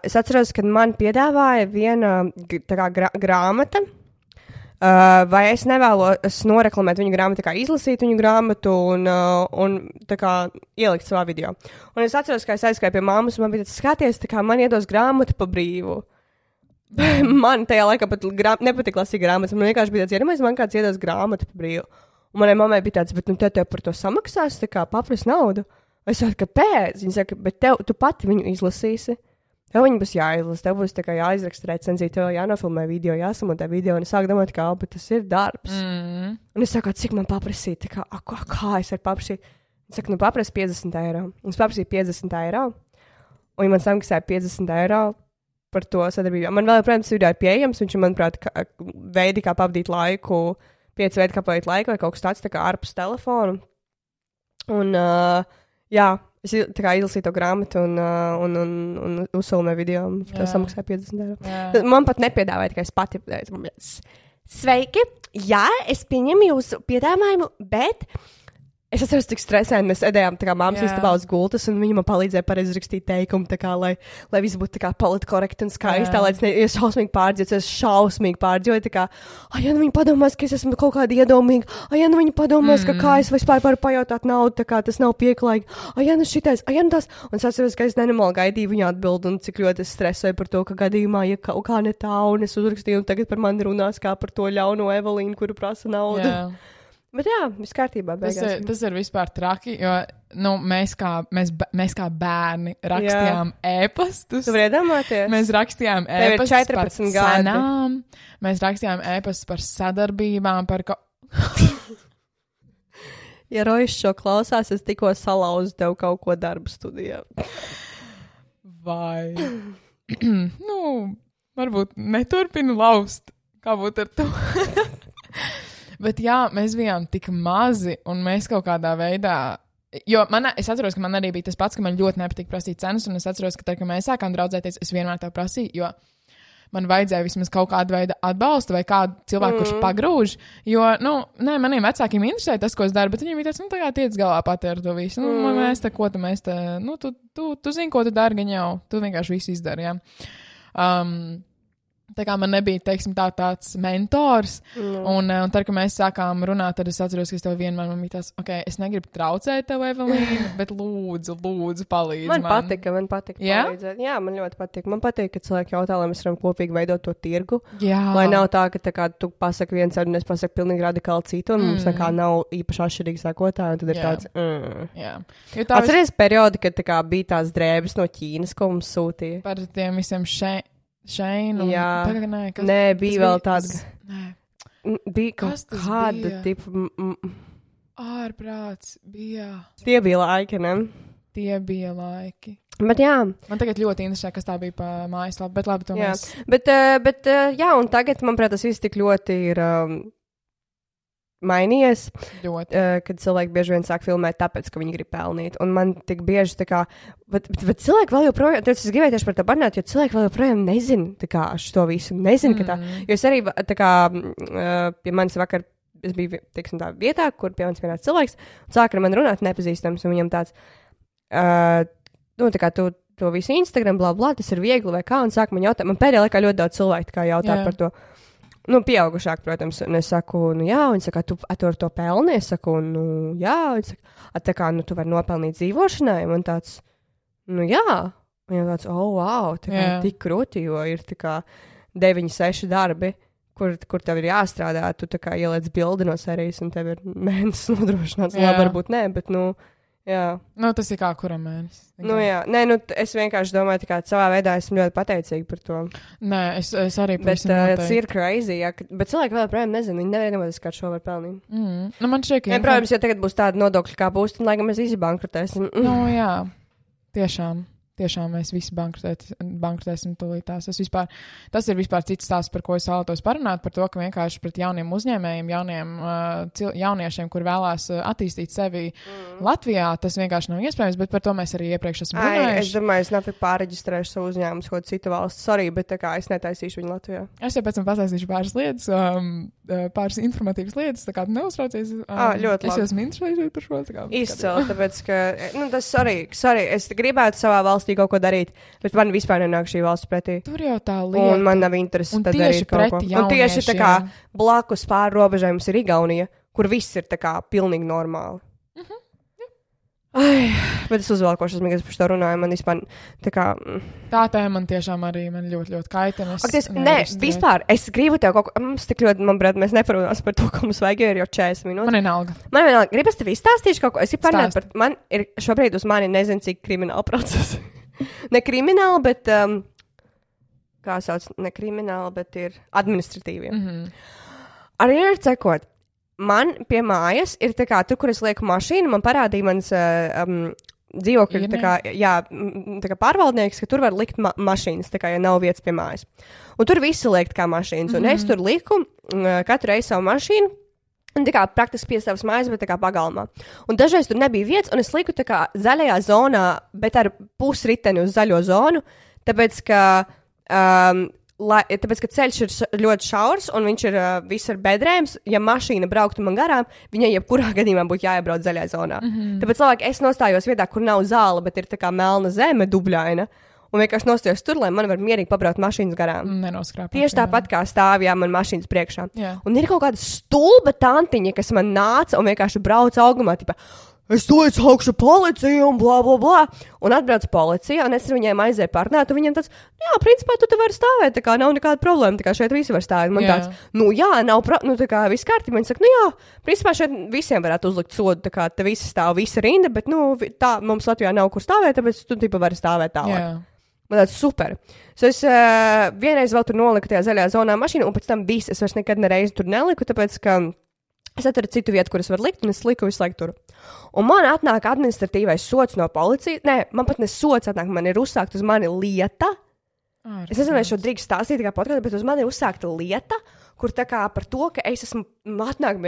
es atceros, kad man piedāvāja viena tā kā grāmata, vai es nevēlos noreklamēt viņu grāmatu, tā kā izlasīt viņu grāmatu un tā kā ielikt savā video. Un es atceros, ka es aizgāju pie mammas, un man bija tāds skaties, tā kā man iedos grāmatu pa brīvu. Man tajā laikā pat nepatika lasīt grāmatas. Man vienkārši bija tāds iedomājies, man kāds iedos grāmatu par brīvu. Un manai mammai bija tāds, bet tev par to samaksās, tā kā papras naudu. Es saku, kāpēc? Viņa saka, bet tu pati viņu izlasīsi. Tev viņa būs jāizlasa, tev būs tā kā jāizraksta recenzija, tev jānofilmē video, jāsamontē video, un es sāku domāt, kā, bet tas ir darbs. Un es saku, cik man paprasīt, tā kā, kā es varu paprasīt? Es saku, paprasi 50 eiro. Un es paprasīju 50 eiro, un ja man samaksāja 50 eiro par to sadarbību. Man vēl, protams, video ir pieejams, viņš ir, manuprāt, veidi, kā pavadīt laiku, 5 veidi, kā pavadīt laiku, vai kaut kas tāds, tā kā ārpus telefonu. Un, jā, es tā kā izlasīju to grāmatu un uzfilmēju video, un to samaksāju 50 eiro. Jā. Man pat nepiedāvāja, ka es pati pateicu. Sveiki! Jā, es pieņemu jūsu piedāvājumu, bet es atceros, cik stresēni mēs sēdējām tā kā māmas istabā uz gultas, un viņa man palīdzēja pareizi rakstīt teikumu, tā kā, lai viss būtu tā kā politkorekti un skaisti, tā, lai es šausmīgi pārdzīvoju, es šausmīgi pārdzīvoju, tā kā, ja nu viņi padomās, ka es esmu kaut kāda iedomīga, ja nu viņi padomās, ka kā es vispār varu pajautāt naudu, tā kā tas nav pieklājīgi, ja nu šitais, ja nu tas, un es atceros, ka es nenormāli gaidīju viņa atbildi, un cik ļoti es stresēju par to, ka gadījumā, ja kaut kā ne tā, un es uzrakstīju, un tagad par mani runās kā par to ļauno Evelīnu, kuru prasa naudu. Jā. Bet jā, viss kārtībā. Tas ir vispār traki, jo mēs kā bērni rakstījām ēpastus. Tu vari iedomāties? Mēs rakstījām ēpastus par cenām, mēs rakstījām ēpastus par sadarbībām, par Ja Rojas šo klausās, es tikko salauzu tev kaut ko darba studijā. Vai? Varbūt neturpinu laust. Kā būtu ar to? Bet jā, mēs bijām tik mazi, un mēs kaut kādā veidā, jo es atceros, ka man arī bija tas pats, ka man ļoti nepatīk prasīt cenas, un es atceros, ka tad, kad mēs sākām draudzēties, es vienmēr tā prasīju, jo man vajadzēja vismaz kaut kādu veidu atbalstu vai kādu cilvēku, kurš pagrūž, jo, maniem vecākiem interesē tas, ko es daru, bet viņiem bija tāds, tā kā tiec galā pati ar to visu, mēs te, ko tu mēs te, tu zini, ko tu dari, gan jau, tu vienkārši visu izdari, jā. Tā kā man nebija, teiksim, tāds mentors, un tad, kad mēs sākām runāt, tad es atceros, ka es tev vienmēr man bija tās, es negribu traucēt tev, Evelīna, bet lūdzu, palīdzi man. Man patika palīdzēt. Jā, man ļoti patika. Man patīk, ka cilvēki jautā, lai mēs varam kopīgi veidot to tirgu. Jā. Lai nav tā, ka tā kā tu pasaki viens ar un es pasaku pilnīgi radikāli citu, un mums nekā nav īpaši atšķirīgi sakotāji, un tad ir tāds, Jā. Atceries periodi, kad tā kā bija tās drēbes no Ķīnas, ko mums sūtīja? Par tiem visiem Šeinu. Jā. Nē, bija vēl tāds. Bija kaut kāda tipa. Ārprāts bija. Tie bija laiki, ne? Tie bija laiki. Bet jā. Man tagad ļoti interesē, kas tā bija pa mājaslapu, bet labi, to jā. mēs. Bet jā, un tagad, manuprāt, tas viss tik ļoti ir mainījies, kad cilvēki bieži vien sāk filmēt tāpēc, ka viņi grib pelnīt. Un man tik bieži tā kā, bet cilvēki vēl joprojām, tad es gribēju tieši par to parunāt, jo cilvēki vēl joprojām nezina tā kā šo visu, nezina, ka tā, jo es arī tā kā, pie manis vakar, es biju, teiksim tā, vietā, kur pie manis pienāca cilvēks, un sāk ar mani runāt nepazīstams, un viņam tāds, tā kā tu to visu Instagram, blā, tas ir viegli vai kā, un sāk man jautāt, man pēdējā laikā ļoti daudz cilvēku tā kā jautā par to. Pieaugušāk, protams, un es saku, jā, un saka, tu ar to pelni, es saku, jā, un saka, tā kā, tu vari nopelnīt dzīvošanai, un tāds, jā, un jau tāds, wow, tā kā tik krūti, jo ir tā kā 9-6 darbi, kur tev ir jāstrādā, tu tā kā ieliec bildi no serijas, un tev ir mēnesis nodrošināts, labi, varbūt nē, bet, jā. Tas ir kā kuram mēnesis. Jā. Nē, es vienkārši domāju, ka savā veidā esmu ļoti pateicīga par to. Nē, es arī pavisam noteikti. Tas ir crazy, jā, bet cilvēki vēl joprojām nezina, viņi nevienojas, kā šo var pelnīt. Man šķiet, ka... Protams, ja tagad būs tāda nodokļa kā būs, tad, lai gan mēs visi bankrotēsim. Jā, tiešām mēs visi bankrotēsim tūlītās. Tas ir vispār cits stāsts, par ko es vēlētos parunāt, par to, ka vienkārši pret jauniem uzņēmējiem, jauniešiem, kur vēlās attīstīt sevi Latvijā, tas vienkārši nav iespējams, bet par to mēs arī iepriekš esam runājuši. Es domāju, es nav pārreģistrēšu savu uzņēmumu, ko citu valstu, sorry, bet tā kā es netaisīšu viņu Latvijā. Es jau pēc tam pastāstīšu pāris lietas, pāris informatīvas lietas, tā kā tu neuztraucies. Ļoti labi. Es esmu interesējušies par šo. Izcili, tāpēc, ka, tas sorry, es gribētu savā valstī kaut ko darīt, bet man vispār nenāk šī valsts pretī. Tur jau tā lieta. Un man nav interesi tad darīt kaut ko. Un tieši tā kā blakus pāri robežai mums ir Igaunija, kur viss ir tā kā pilnīgi normāli. Ai, bet es uzvelkošos, kad par to runāju, man vispār tā kā... Tā tēma man tiešām arī ļoti, ļoti kaitina. Nē, vispār, es gribu tev kaut ko, mums tik ļoti, manuprāt, mēs neparunās par to, ko mums vajag, jo ir jau 40 minūtes. Man vienalga. Man vienalga, gribas tev izstāstīšu kaut ko, es par, man ir šobrīd uz mani nezinu, cik krimināla procesa. Ne krimināla, bet, kā sauc, ne krimināla, bet ir administratīvie. Arī ir cekot. Man pie mājas ir tā kā tur, kur es lieku mašīnu, man parādīja mans dzīvokļu, tā kā pārvaldnieks, ka tur var likt mašīnas, tā kā, ja nav vietas pie mājas. Un tur visi liekt kā mašīnas, un es tur liku katru reizi savu mašīnu, un tā kā praktiski pie savas mājas, bet tā kā pagalmā. Un dažreiz tur nebija vietas, un es liku tā kā zaļajā zonā, bet ar pusriteni uz zaļo zonu, tāpēc, ka ceļš ir ļoti šaurs un viņš ir viss ar bedrēm. Ja mašīna brauktu man garām, viņai jebkurā gadījumā būtu jāiebrauc zaļā zonā. Tāpēc labāk es nostājos vietā, kur nav zāle, bet ir tā kā melna zeme, dubļaina. Un vienkārši nostājos tur, lai man var mierīgi pabraukt mašīnas garām. Nenoskrāpēt. Tieši tāpat kā stāvjā man mašīnas priekšā. Jā. Un ir kaut kāda stulba tantiņa, kas man nāca un vienkārši brauca augumā. Tipa, es to augšu policiju un blā, blā, blā. Un atbrauc policija, un es ar viņiem aizēju parunāt, un viņiem tāds, jā, principā tu te vari stāvēt, tā kā nav nekāda problēma, tā kā šeit visi var stāvēt. Man tāds, tā kā viss kārtībā. Viņi saka, principā šeit visiem varētu uzlikt sodu, tā kā te visi stāv, visa rinda, bet, tā mums Latvijā nav kur stāvēt, tāpēc tu tipa vari stāvēt tālāk. Jā. Man tāds super. So es vienreiz vēl tur noliku tajā zaļajā zonā mašīnu, un pēc tam viss, es vairs nekad nereizi tur neliku, tāpēc, ka es atradu citu vietu, kur es varu likt, un es liku visu laiku tur. Un man atnāk administratīvais sods no policijas. Nē, man pat ne sods atnāk, man ir uzsākt uz mani lieta. Es nezinu, vai šo drīkst stāstīt kā podkāstu, bet uz mani ir uzsākta lieta, kur tā kā par to, ka es esmu atnāk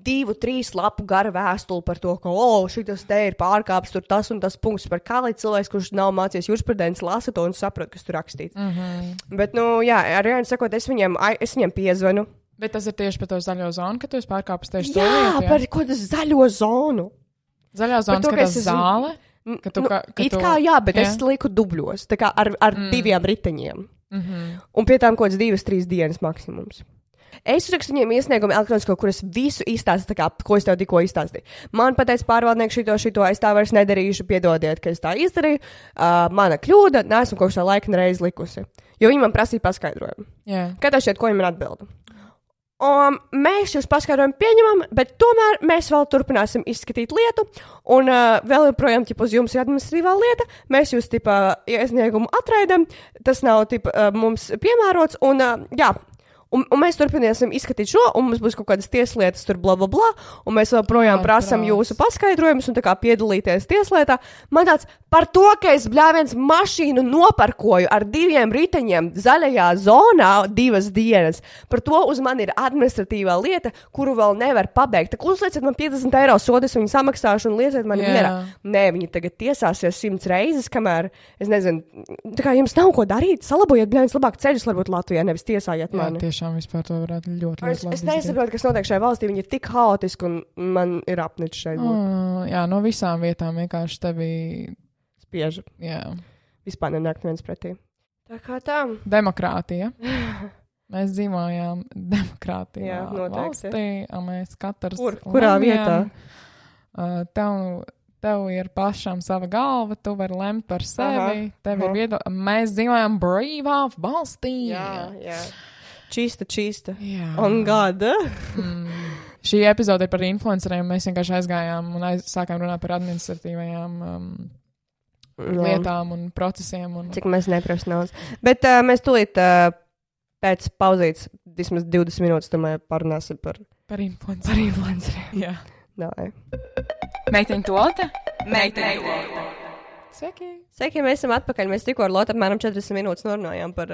2-3 lapu gara vēstuli par to, ka, šitas te ir pārkāpts, tur tas un tas punkts, par kā līdz cilvēks, kurš nav mācījies jurisprudenci, lasa to un saprot, kas tur rakstīts. Bet, ar Jāni sakot, es viņiem piezvanu. Bet tas ir tieši par to zaļo zonu, ka tu esi pārkāpis tieši to lietu? Jā, par ko tas zaļo zonu? Zaļā zona, ka tas zāle? Jā, bet es liku dubļos, tā kā ar 2 riteņiem. Un pie tām kaut kāds 2-3 dienas maksimums. Es uzrakstu viņiem iesniegumu elektronisko, kur es visu izstāstu, ko es tev tikko izstāstīju. Man pateica pārvaldnieks šito, es tā vairs nedarīšu, piedodiet, ka es tā izdarīju. Mana kļūda, neesmu kaut kā laika nereiz likusi. Jo viņi man prasīja paskaidrojumu. Kad šķiet, ko viņi man atbilda? Mēs jūs paskaidrojumu pieņemam, bet tomēr mēs vēl turpināsim izskatīt lietu, un vēl joprojām, uz jums ir administratīvā lieta, mēs jūs, iesniegumu atraidam, tas nav, mums piemērots, un Un mēs turpināsim izskatīt šo, un mums būs kaut kādas tieslietas, tur bla, bla, bla, un mēs joprojām prasam jūsu paskaidrojumus un tā kā piedalīties tieslietā. Man tāds par to, ka es bļāviens mašīnu noparkoju ar 2 riteņiem zaļajā zonā 2 dienas. Par to uz mani ir administratīvā lieta, kuru vēl nevar pabeigt. Tā uzlieciet man 50 eiro sodu, es viņu samaksāšu un lieciet mani mierā. Nē, viņi tagad tiesāsies 100 reizes, kamēr, es nezinu, tā kā jums nav ko darīt, salabojiet bļāviens labāk ceļus, varbūt Latvijā, nevis tiesājiet mani. Tiešām vispār to varētu ļoti labi. Es nesaprotu, kas notiek šajā valstī. Viņi ir tik haotiski, un man ir apnicis šeit. Jā, no visām vietām vienkārši tevi spiež. Jā. Vispār nenāk neviens pretī. Tā kā tā. Demokrātija. Mēs dzīvojām demokrātijā valstī, un mēs katrs Kurā vietā? Tev ir pašam sava galva, tu vari lemt par sevi, tev ir viedokļi. Mēs dzīvojam brīvā valstī. Jā. Čista. Jā. On gada. Šī epizode ir par influenceriem. Mēs vienkārši aizgājām un sākām runāt par administratīvajām lietām un procesiem. Cik mēs neprofesionāls. Bet mēs tūlīt pēc pauzītes, vismaz 20 minūtes, tomēr parunāsim par influenceriem. Jā. Davai. Meiteņu toalete? Meiteņu toalete. Sveiki, mēs esam atpakaļ. Mēs tikko ar Lotu apmēram 40 minūtes norunājām par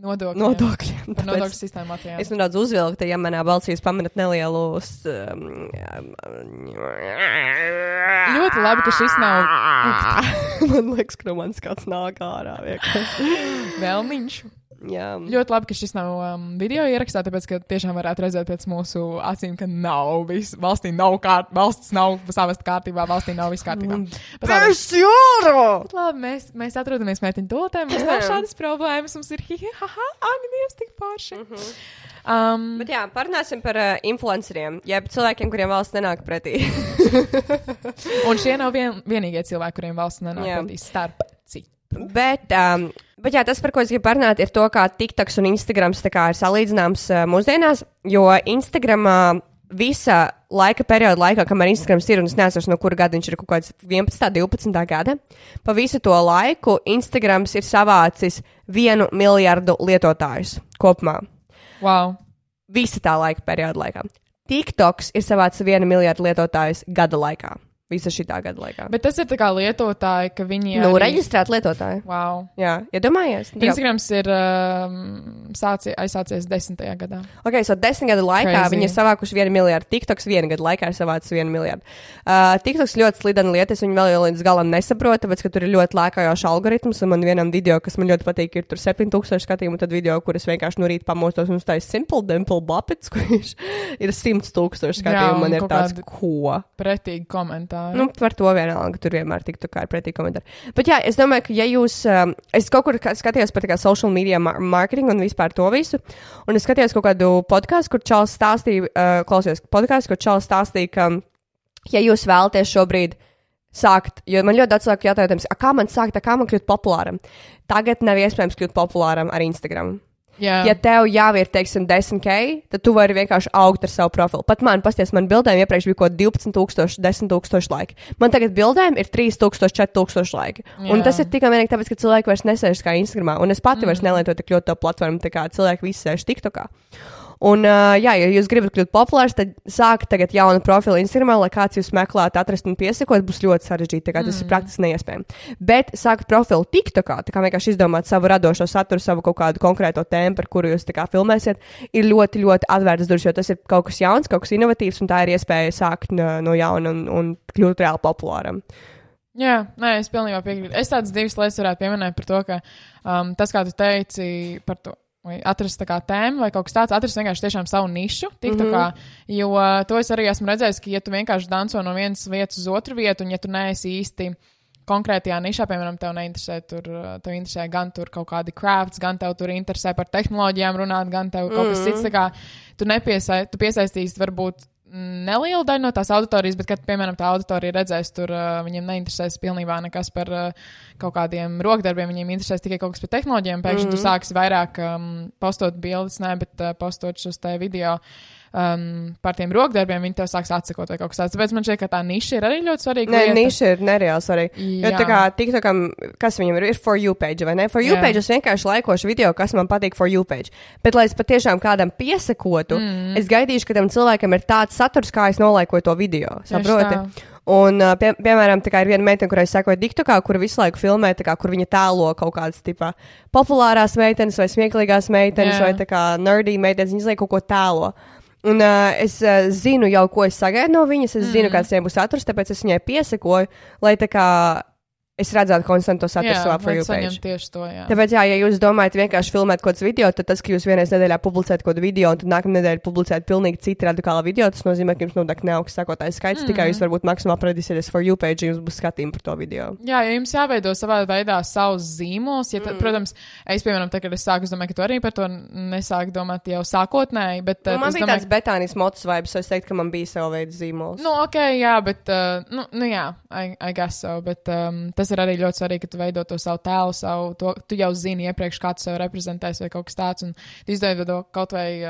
nodokļiem. Par nodokļu sistēmu Latvijā. Es nedaudz uzvilku, ja manā balsī jūs pamanat nelielus... Ļoti labi, ka šis nav... Man liekas, ka no manis kāds nāk ārā. Vēlniņš. Jā. Ļoti labi, ka šis nav video ierakstā, tāpēc, ka tiešām varētu redzēt pēc mūsu acīm, ka valsts nav savest kārtībā, valstī nav viss kārtībā. Labi, mēs atrodamies meiteņu toaletē, mums nav šādas problēmas, mums ir Agnies tik forši. Bet jā, parunāsim par influenceriem, jeb cilvēkiem, kuriem valsts nenāk pretī. Un šie nav vienīgie cilvēki, kuriem valsts nenāk pretī starp citu. Bet jā, tas, par ko es gribu parunāt, ir to, kā TikToks un Instagrams tā kā ir salīdzināms mūsdienās, jo Instagramā visa laika perioda laikā, kamēr Instagrams ir, un es neatceros, no kura gada viņš ir kaut kāds 11. 12. gada, pa visu to laiku Instagrams ir savācis 1 miljardu lietotājus kopumā. Wow. Visa tā laika perioda laikā. TikToks ir savācis 1 miljardu lietotājus gada laikā. Visa šitā gada laikā. Bet tas ir tā kā lietotāji, ka viņi Nu, reģistrēt lietotāji. Wow. Jā, iedomājies? Instagrams ir aizsācies 10. gadā. Ok, so 10 gadu laikā Crazy. viņi ir savākuši 1 miljardu. TikToks 1 gadu laikā ir savācis 1 miljardu. TikToks ļoti slidena lieta, es viņu vēl līdz galam nesaprotu, tāpēc, ka tur ir ļoti lēkājošs algoritms, un man vienam video, kas man ļoti patīk, ir tur 7000 skatījumu, tad video, kur es vienkārši no rīta pamostos un uztāju Simple Dimple Buppets, kurš ir 100,000 skatījumu, man ir tāds, ko? Pretīgi komentāri. Nu, par to vienalga, tur vienmēr tiktu kā ir pretī komentāri. Bet jā, es domāju, ka ja jūs, es kaut kur skatījos par tā kā social media marketing un vispār to visu, un es skatījos kaut kādu podkāstu, kur Čāls stāstīja, klausījos podkāstu, kur Čāls stāstīja, ka ja jūs vēlaties šobrīd sākt, jo man ļoti daudz cilvēku jautājums, kā man sākt, kā man kļūt populāram? Tagad nav iespējams kļūt populāram ar Instagram. Jā. Ja tev jau ir, teiksim, 10K, tad tu vari vienkārši augt ar savu profilu. Pat man, pasties, man bildēm iepriekš bija kaut 12,000, 10,000 laiki. Man tagad bildēm ir 3,000, 4,000 laiki. Jā. Un tas ir tikai vienīgi tāpēc, ka cilvēki vairs nesēž kā Instagramā. Un es pati vairs nelietoju tik ļoti to platformu, tā kā cilvēki visi sēž TikTokā. Un, jā, ja jūs gribat kļūt populārs, tad sākt tagad jaunu profilu Instagramā, lai kāds jūs meklētu, atrast un piesakot, būs ļoti sarežģīti, tā kā tas ir praktiski neiespējami. Bet sākt profilu TikTokā, tā kā vienkārši izdomāt savu radošo saturu, savu kaut kādu konkrēto tēmu, par kuru jūs tā kā filmēsiet, ir ļoti, ļoti atvērtas durvis, jo tas ir kaut kas jauns, kaut kas inovatīvs, un tā ir iespēja sākt no jauna un kļūt reāli populāram. Jā, nē, es pilnībā piekrītu. Es tādas divas lietas varētu pieminēt par to, ka tas, kā tu teici par to, vai atrast tā kā tēmu vai kaut kas tāds, atrast vienkārši tiešām savu nišu, TikTokā, jo to es arī esmu redzējis, ka ja tu vienkārši danco no vienas vietas uz otru vietu, un ja tu neesi īsti konkrētajā nišā, piemēram, tev interesē gan tur kaut kādi crafts, gan tev tur interesē par tehnoloģijām runāt, gan tev kaut kas cits, tā kā tu piesaistīsi varbūt nelielu daļu no tās auditorijas, bet, kad, piemēram, tā auditorija redzēs, tur viņiem neinteresēs pilnībā nekas par kaut kādiem rokdarbiem, viņiem interesēs tikai kaut kas par tehnoloģijām, pēkšņi tu sāksi vairāk postot bildes, bet postot šos te video par tiem rokdarbiem, viņi tev sāks atsekot vai kaut kas tāds. Tāpēc man šķiet, ka tā niša ir arī ļoti svarīga. Nē, niša ir nereāli svarīga. Jo tā kā TikTokam, kas viņam ir For You page, vai ne? For You page es vienkārši laikošu video, kas man patīk For You page. Bet, lai es patiešām kādam piesakotu, es gaidīšu, ka tam cilvēkam ir tāds saturs, kā es nolaikoju to video. Saproti? Un, piemēram, tā kā ir viena meitene, kurai sekoja TikTokā, kura visu laiku filmē, tā kā, kur viņa tēlo kaut kādas, tipā, populārās meitenes vai smieklīgās meitenes vai tā kā nerdy meitenes, viņas lai kaut ko tēlo. Un es zinu jau, ko es sagaidu no viņas, es zinu, kāds viņai būs saturs, tāpēc es viņai piesakoju, lai tā kā es redzētu konstantu saturu savā For You page. Tieši to, jā. Tāpēc, jā, ja jūs domājat vienkārši filmēt kaut kāds video, tad tas, ka jūs vienreiz nedēļā publicējat kaut kādu video, un tad nākamā nedēļa publicējat pilnīgi citu radikālu video, tas nozīmē, ka jums noteikti neaugs sekotājs skaits, tikai jūs varbūt maksimāli apradīsieties For You page, jums būs skatījumi par to video. Jā, ja jums jāveido savā veidā savs zīmols, ja protams, es, piemēram, tagad es sāku, es domāju, ka tu arī par to nesāku domāt jau sākotnēji, bet man bija tāds Betānijas motus vibes, so es teiktu, ka man bija sava veida zīmols. Nu, ok, jā, bet, jā, I guess so, bet tas ir arī ļoti svarīgi, ka tu veido to savu tēlu, tu jau zini iepriekš, kā tu sev reprezentēsi vai kaut kas tāds, un tu izveido kaut vai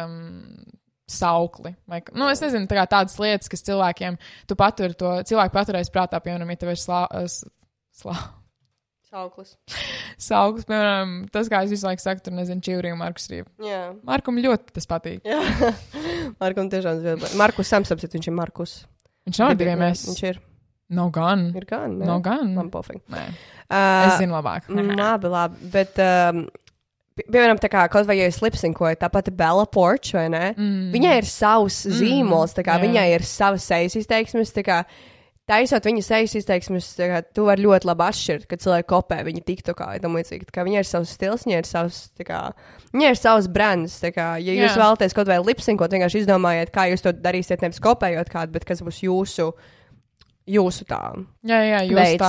saukli. Vai, es nezinu, tādas lietas, kas cilvēkiem, cilvēki paturēs prātā, piemēram, ja tev ir Sauklis. Sauklis, piemēram, tas, kā es visu laiku saku, tur nezinu, Čivri un Markus Rīva. Jā. Markum ļoti tas patīk. Jā. Markum tiešām ļoti. Markus Samsapsit, viņš ir Markus. Viņš nav diviem mēs. Viņš ir. Nav gan. Ir gan, ne? Nav gan. Man pofīgi. Nē. Es zinu labāk. Labi, bet, piemēram, tā kā kaut vai, ja es lipsinkoju, tāpat Bella Porch, vai ne? Viņai ir savs zīmols, tā kā viņai ir savas sejas izteiksmes, tā kā taisot viņas sejas izteiksmes, tā kā tu vari ļoti labi atšķirt, kad cilvēki kopē viņa TikTokā, tam līdzīgi, tā kā viņai ir savs stils, viņai ir savs, tā kā, viņai ir savs brands, tā kā, ja jūs vēlaties kaut vai lipsinkot, vienkārši izdomājiet, kā jūs to darīsiet, nevis kopējot kādu, bet kas būs jūsu tā. Jā, jūs veids.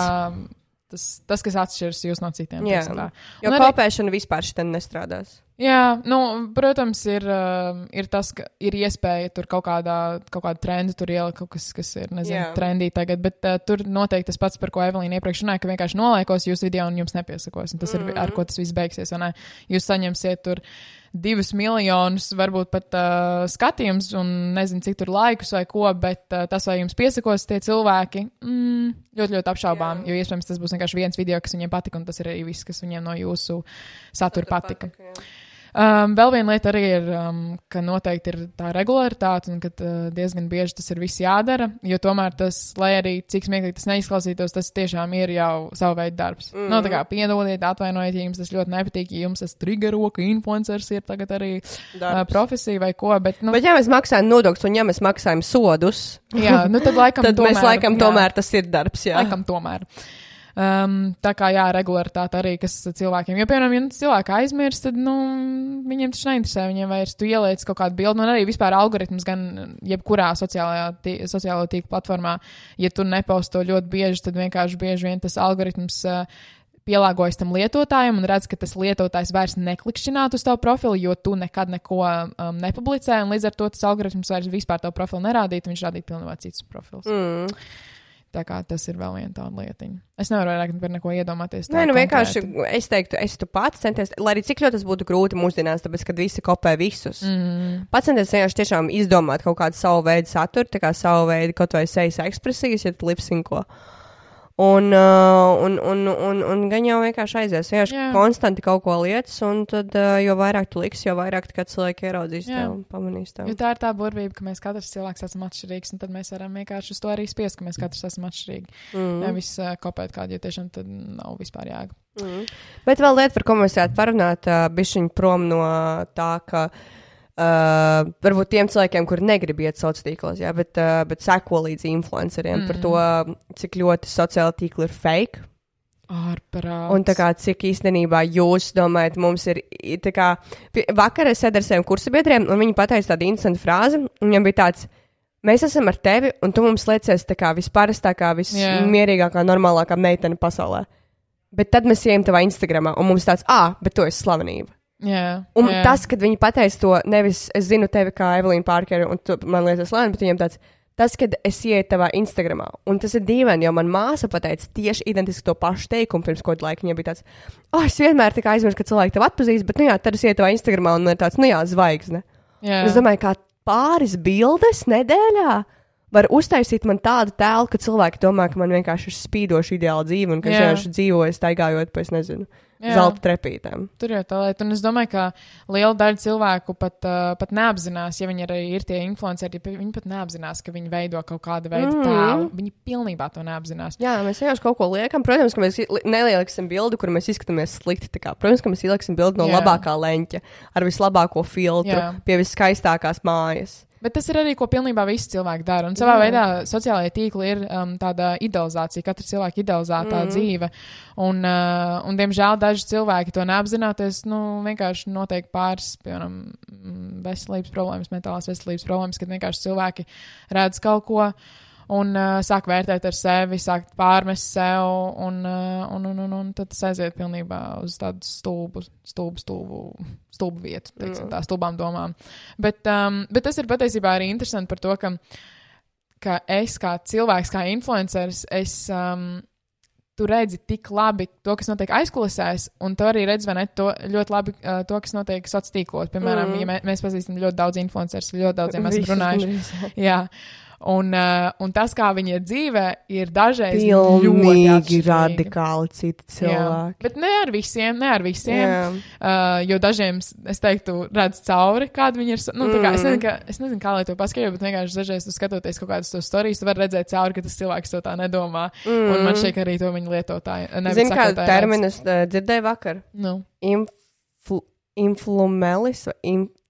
Tā tas kas atšķiras jūs no citiem. Jā, teiksim tā. jo Un arī- kopēšana vispār šitam nestrādās. Jā, protams, ir tas, ka ir iespēja tur kaut kādu trendu tur ielikt, kaut kas ir, Jā. trendī tagad, bet tur noteikti tas pats, par ko Evelīna iepriekš runāja, ka vienkārši noliekos jūsu video un jums nepiesakos, un tas ir, ar ko tas viss beigsies, vai ne? Jūs saņemsiet tur 2 miljonus, varbūt pat skatījums un nezinu, cik tur laikus vai ko, bet tas, vai jums piesakos tie cilvēki, ļoti, ļoti apšaubām, jo iespējams tas būs vienkārši viens video, kas viņiem patika, un tas ir arī viss, kas viņiem no jūsu satura patika. Vēl viena lieta arī ir, ka noteikti ir tā regularitāte un ka diezgan bieži tas ir viss jādara, jo tomēr tas, lai arī cik smieklīgi tas neizklausītos, tas tiešām ir jau savu veidu darbs. No, tā kā piedodiet, atvainojiet, ja jums tas ļoti nepatīk, ja jums tas triggero, ka influencers ir tagad arī profesija vai ko, bet, Bet ja mēs maksājam nodokļus un ja mēs maksājam sodus, jā, tad laikam tad tomēr, mēs laikam tomēr tas ir darbs, jā. Laikam tomēr. Tā kā jā, regularitāte arī, kas cilvēkiem, jo, piemēram, ja cilvēki aizmirst, tad, viņiem taču neinteresē, viņiem vairs tu ieliec kaut kādu bildi, un arī vispār algoritms gan jebkurā sociālo tīklu platformā, ja tu neposto ļoti bieži, tad vienkārši bieži vien tas algoritms pielāgojas tam lietotājam un redz, ka tas lietotājs vairs neklikšķinātu uz tavu profilu, jo tu nekad neko nepublicē, un līdz ar to tas algoritms vairs vispār tavu profilu nerādītu, viņš rādītu pilnībā citus profilus. Tā kā tas ir vēl viena tāda lietiņa. Es nevaru vairāk par neko iedomāties. Nē, vienkārši es teiktu, es tu pats centies, lai arī cik ļoti tas būtu grūti mūsdienās, tāpēc, kad visi kopē visus. Pats centies vienkārši tiešām izdomāt kaut kādu savu veidu saturu, tā kā savu veidu kaut vai sejas ekspresijas, ja tu lipsinko. Un gan jau vienkārši aizies. Vienkārši konstanti kaut ko lietas, un tad, jo vairāk tu liksi, jo vairāk cilvēki ieraudzīs tev un pamanīs tev. Jo tā ir tā burvība, ka mēs katrs cilvēks esam atšķirīgs, un tad mēs varam vienkārši uz to arī spiest, ka mēs katrs esam atšķirīgi. Nevis kopēt kādu, jo tiešām tad nav vispār jēga. Bet vēl lieta, par ko mēs varētu parunāt, bišķiņ prom no tā, ka varbūt tiem cilvēkiem, kuri negrib iet sociālos tīklos, jā, bet seko līdz influenceriem par to, cik ļoti sociāli tīkli ir fake. Ārprāts. Un tā kā cik īstenībā jūs domājat, mums ir, tā kā, vakar es sēdu ar saviem kursabiedriem, un viņi pateica tādu interesantu frāzi, un viņam bija tāds, mēs esam ar tevi, un tu mums liecies tā kā visparastākā, vismierīgākā, normālākā meitene pasaulē. Bet tad mēs ejam tavā Instagramā, un mums tāds, bet tu esi slavenība. Tas, kad viņi pateica to, nevis es zinu tevi kā Evelīna Parkeri, un tu man liekas slaveni, bet viņiem tas, kad es ieju tavā Instagramā, un tas ir dīvaini, jo man māsa pateica tieši identiski to pašu teikumu pirms kaut laika. Viņa bija tāds, es vienmēr tā kā aizmirstu, ka cilvēki tev atpazīst, bet, tad es ieju tavā Instagramā, un man ir tāds, zvaigzne. Es domāju, kā pāris bildes nedēļā var uztaisīt man tādu tēlu, ka cilvēki domā, ka man vienkārši ir spīdoša ideāla dzīve, un ka es vienkārši dzīvoju staigājot pa, es nezinu, zelta trepītēm. Tur jau tā lieta, un es domāju, ka liela daļa cilvēku pat neapzinās, ja viņi arī ir tie influenceri, viņi pat neapzinās, ka viņi veido kaut kādu veidu tēlu. Viņi pilnībā to neapzinās. Jā, mēs vienkārši kaut ko liekam. Protams, ka mēs nelieliksim bildi, kur mēs izskatāmies slikti. Protams, ka mēs ieliksim bildi no labākā leņķa, ar vislabāko filtru, pie viskaistākās mājas. Bet tas ir arī, ko pilnībā visi cilvēki dara. Un savā veidā sociālajie tīkli ir tāda idealizācija, katra cilvēka idealizētā dzīve. Un diemžēl daži cilvēki to neapzināties, vienkārši notiek pāris, piemēram, veselības problēmas, mentālās veselības problēmas, kad vienkārši cilvēki redz kaut ko un sāk vērtēt ar sevi, sāk pārmest sev, un tad tas aiziet pilnībā uz tādu stulbu vietu, teiksim, tā stulbām domām. Bet tas ir patiesībā arī interesanti par to, ka es kā cilvēks, kā influenceris, tu redzi tik labi to, kas notiek aizkulisēs, un tu arī redzi, vai ne, to ļoti labi to, kas notiek sociālos tīklos. Piemēram, ja mēs pazīstam ļoti daudz influencerus, ļoti daudziem esam runājuši. Jā. Un tas, kā viņi ir dzīvē, ir dažreiz pilnīgi radikāli citi cilvēki. Bet ne ar visiem, jo dažiem, es teiktu, redz cauri, kāda viņi ir. Tā kā, es nezinu, kā lai to paskaidrotu, bet vienkārši dažreiz tu skatoties kaut kādas tos storijas, tu vari redzēt cauri, ka tas cilvēks to tā nedomā. Un man šķiet, ka arī to viņi lietotāji. Zini, kādu terminus dzirdēju vakar? Influmelis vai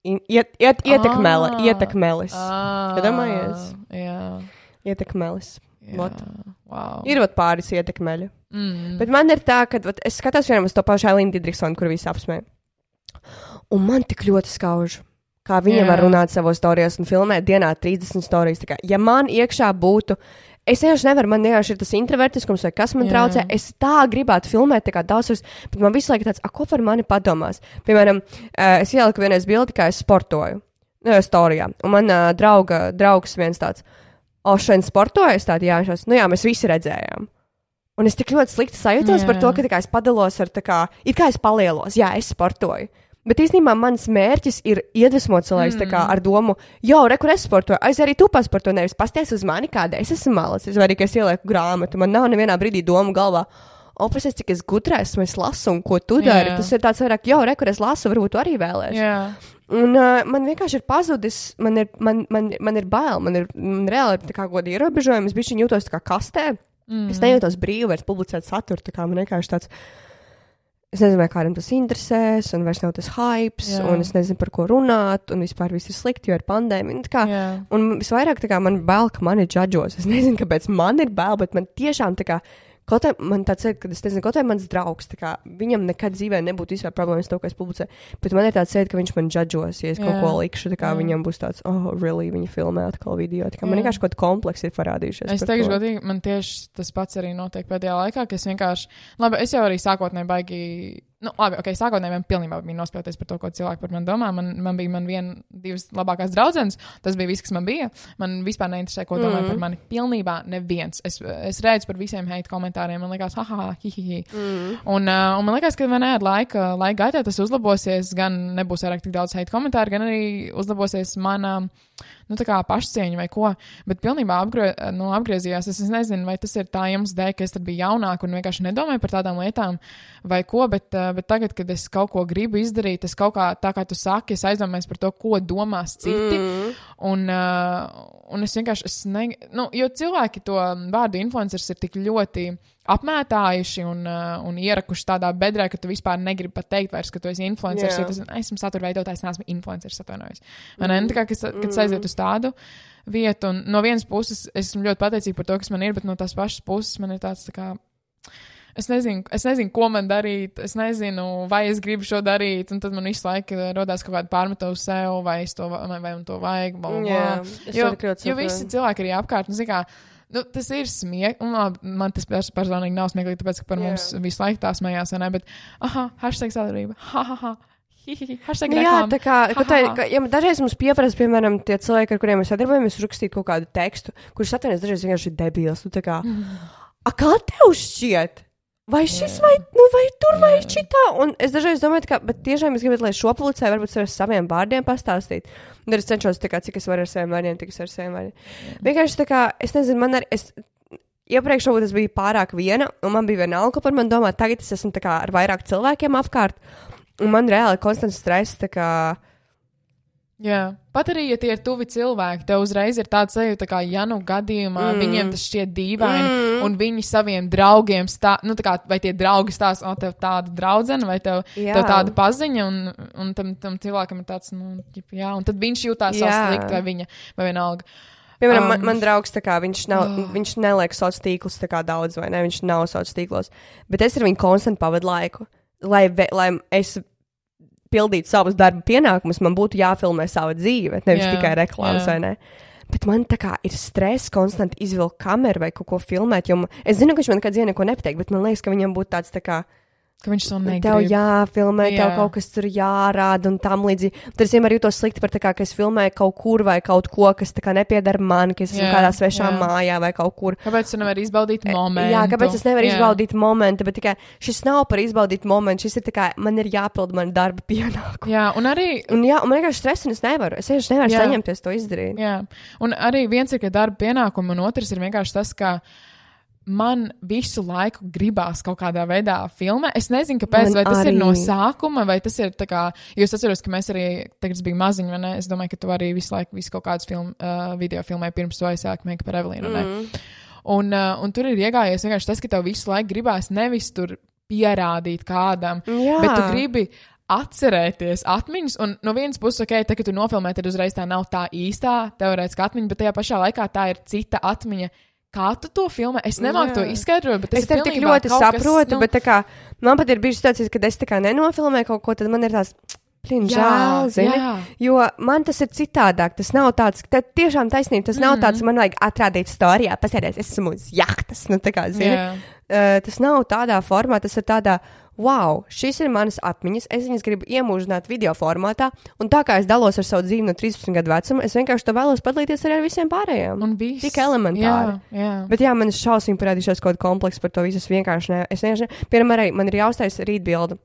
ietekmelis. Iedomājies? Jā. Ietekmelis. Wow. Ir pāris ietekmeļu. Bet man ir tā, ka es skatos vienam uz to pašu Ailīnu Didriksonu, kur visi apsmē. Un man tik ļoti skauž, kā viņa var runāt savos storijos un filmēt dienā 30 storijas. Ja man iekšā būtu Es vienkārši nevaru, man vienkārši ir tas introvertiskums, vai kas man traucē. Es tā gribētu filmēt, tā kā daudz, bet man visu laiku tāds, ko par mani padomās? Piemēram, es ieliku vienreiz bildi, kā es sportoju. Storijā. Un man draugs viens tāds, šodien sportoju, es tādu, jā, mēs visi redzējām. Un es tik ļoti slikti sajūtos par to, ka tā kā es padalos ar tā kā, it kā es palielos, jā, es sportoju. Bet īstenībā mans mērķis ir iedvesmot cilvēks tā kā ar domu, kur es sportoju, arī tu pasportoji, nevis pasties uz mani, kāda es esmu malacis, vai arī, ka es ielieku grāmatu, man nav nevienā brīdī domu galvā, pasies, cik es gudrais, es lasu, un ko tu dari, tas ir tāds vairāk, kur es lasu, varbūt tu arī vēlēsi. Un man vienkārši ir pazudis, man ir bail, man reāli tā kā goda ierobežojumi, es bišķiņ jūtos tā kā kastē, es nejūtos brīvi vairs publicēt saturu, tā kā man vienkārši tāds, es nezinu, vai kādam tas interesēs, un vairs nav tas hypes, un es nezinu, par ko runāt, un vispār viss ir slikti, jo ir pandēmija. Un visvairāk tā kā man bail, ka mani džadžos. Es nezinu, kāpēc man ir bail, bet man tiešām tā kā, kaut kā man tāds ir, kad es nezinu, kaut kā mans draugs, tā kā viņam nekad dzīvē nebūtu vispār problēmas to, ka es publicēju, bet man ir tāds ka viņš man džadžos, ja es kaut ko likšu, tā kā viņam būs tāds, really, viņa filmē atkal video, tā kā man vienkārši kaut kompleksi ir parādījušies. Es teikšu godīgi, man tieši tas pats arī notiek pēdējā laikā, ka es vienkārši, es jau arī sākotnēji baigi, sākotnēji man pilnībā bija nospēlēties par to, ko cilvēki par mani domā. Man bija divas labākās draudzenes, tas bija viss, kas man bija. Man vispār neinteresē, ko domāja par mani. Pilnībā neviens. Es redzu par visiem hate komentāriem, man liekas, hihihi. Un man liekas, ka ar laika gaitā tas uzlabosies, gan nebūs vairāk tik daudz hate komentāru, gan arī uzlabosies mana tā kā pašcieņa vai ko, bet pilnībā apgriezījās. Es nezinu, vai tas ir tā iemesls dēļ, ka es tad biju jaunāka un vienkārši nedomāju par tādām lietām vai ko, bet tagad, kad es kaut ko gribu izdarīt, es kaut kā, tā kā tu saki, es aizdomājos par to, ko domās citi, un es vienkārši, jo cilvēki to vārdu influencers ir tik ļoti apmētājuši un ierakuši tādā bedrē, ka tu vispār negribi pat teikt vairs, ka tu esi influenceris, jo tas esmu satura veidotājs, neesmu influenceris, atvainojos. Tā kā, kad aiziet uz tādu vietu, un no vienas puses esmu ļoti pateicīga par to, kas man ir, bet no tās pašas puses man ir tāds tā kā, es nezinu, ko man darīt, es nezinu, vai es gribu šo darīt, un tad man visu laiku rodās kaut kāda pārmeta uz sev, vai man to vajag, jo visi cilvēki arī apkārt, tas ir smieklīgi, un man tas personīgi nav smieklīgi, tāpēc, ka par mums visu laiku tā smējās, vai ne, bet, hashtag sadarbība, hashtag reklāma. Jā, dažreiz mums pieprasa, piemēram, tie cilvēki, ar kuriem mēs sadarbojamies, rakstīt kaut kādu tekstu, kurš atvainojas dažreiz vienkārši ir debils, kā tev šķiet? Vai šis, vai tur, vai šitā? Un es dažreiz domāju, bet tiešām es gribētu, lai šo publicē, varbūt ar saviem vārdiem pastāstīt. Un es cenšos, cik es varu ar saviem vārdiem, tik es ar saviem vārdiem. Vienkārši es nezinu, iepriekš varbūt es biju pārāk viena, un man bija vienalga, ko par mani domāt. Tagad es esmu ar vairāk cilvēkiem apkārt, un man reāli konstants stress, Jā, pat arī, ja tie ir tuvi cilvēki, tev uzreiz ir tāds sajūta, kā, ja gadījumā viņiem tas šķiet dīvaini, un viņi saviem draugiem vai tie draugi stāsta, tev tāda draudzene, vai tev tāda paziņa, un tam cilvēkam ir tāds, un tad viņš jūtās slikti, vai viņa, vai vienalga. Piemēram, man draugs, viņš neliek sociālos tīklus daudz, vai ne, viņš nav sociālos tīklos, bet es ar viņu konstanti pavadu laiku, lai es pildīt savus darba pienākumus, man būtu jāfilmē sava dzīve, nevis tikai reklāmas, vai ne? Bet man ir stress konstanti izvilkt kameru vai kaut ko filmēt, jo es zinu, ka viņš man nekad dzīvē neko nepateikt, bet man liekas, ka viņam būtu tāds ka viņš to negrib. Tev jāfilmē, tev kaut kas tur jārāda un tam līdzīgi. Tad es vienmēr jūtos slikti par ka es filmēju kaut kur vai kaut ko, kas nepiedara man, ka es esmu kādā svešā mājā vai kaut kur. Kāpēc tu nevari izbaudīt momentu? Jā, kāpēc es nevaru izbaudīt momentu, bet tikai šis nav par izbaudīt momentu, šis ir man ir jāpild man darba pienākumu. Jā, un arī... Un man vienkārši stress un es nevaru saņemties to izdarīt. Jā, un arī viens ir, ka darba pienākumu, un otrs ir vienkārši tas, ka man visu laiku gribās kaut kādā veidā filmē. Es nezinu, kāpēc, vai tas ir no sākuma, vai tas ir tā kā, jo es atceros, ka mēs arī, tagad bija maziņi, vai ne? Es domāju, ka tu arī visu laiku visu kaut kādus video filmēji pirms to aizsākt Make par Evelīnu, ne? Un tur ir iegājies vienkārši tas, ka tev visu laiku gribās nevis tur pierādīt kādam, bet tu gribi atcerēties atmiņas, un no vienas puses, tā, kad tu nofilmē, tad uzreiz tā nav tā īstā teorētiskā atmiņa, bet tajā pašā laikā tā ir cita atmiņa. Kā tu to filmē? Es nemāku to izskaidrot, bet es tev tik ļoti saprotu, bet man pat ir bijusi situācijas, kad es nenofilmēju kaut ko, tad man ir tās, žēl, zini, jo man tas ir citādāk, tas nav tāds, tiešām taisnība, tas nav tāds, man vajag atrādīt storijā, pasēdēs, esmu uz jahtas, nu tā kā, zini, tas nav tādā formā, tas ir tādā, wow, šis ir manas atmiņas, es viņas gribu iemūžināt video formātā, un tā kā es dalos ar savu dzīvi no 13 gadu vecuma, es vienkārši to vēlos padalīties arī ar visiem pārējiem. Un viss. Tik elementāri. Bet man ir šausmīgi parādījušās kaut kompleks par to visu, es vienkārši piemēram, arī man ir jāuztais rītbildi.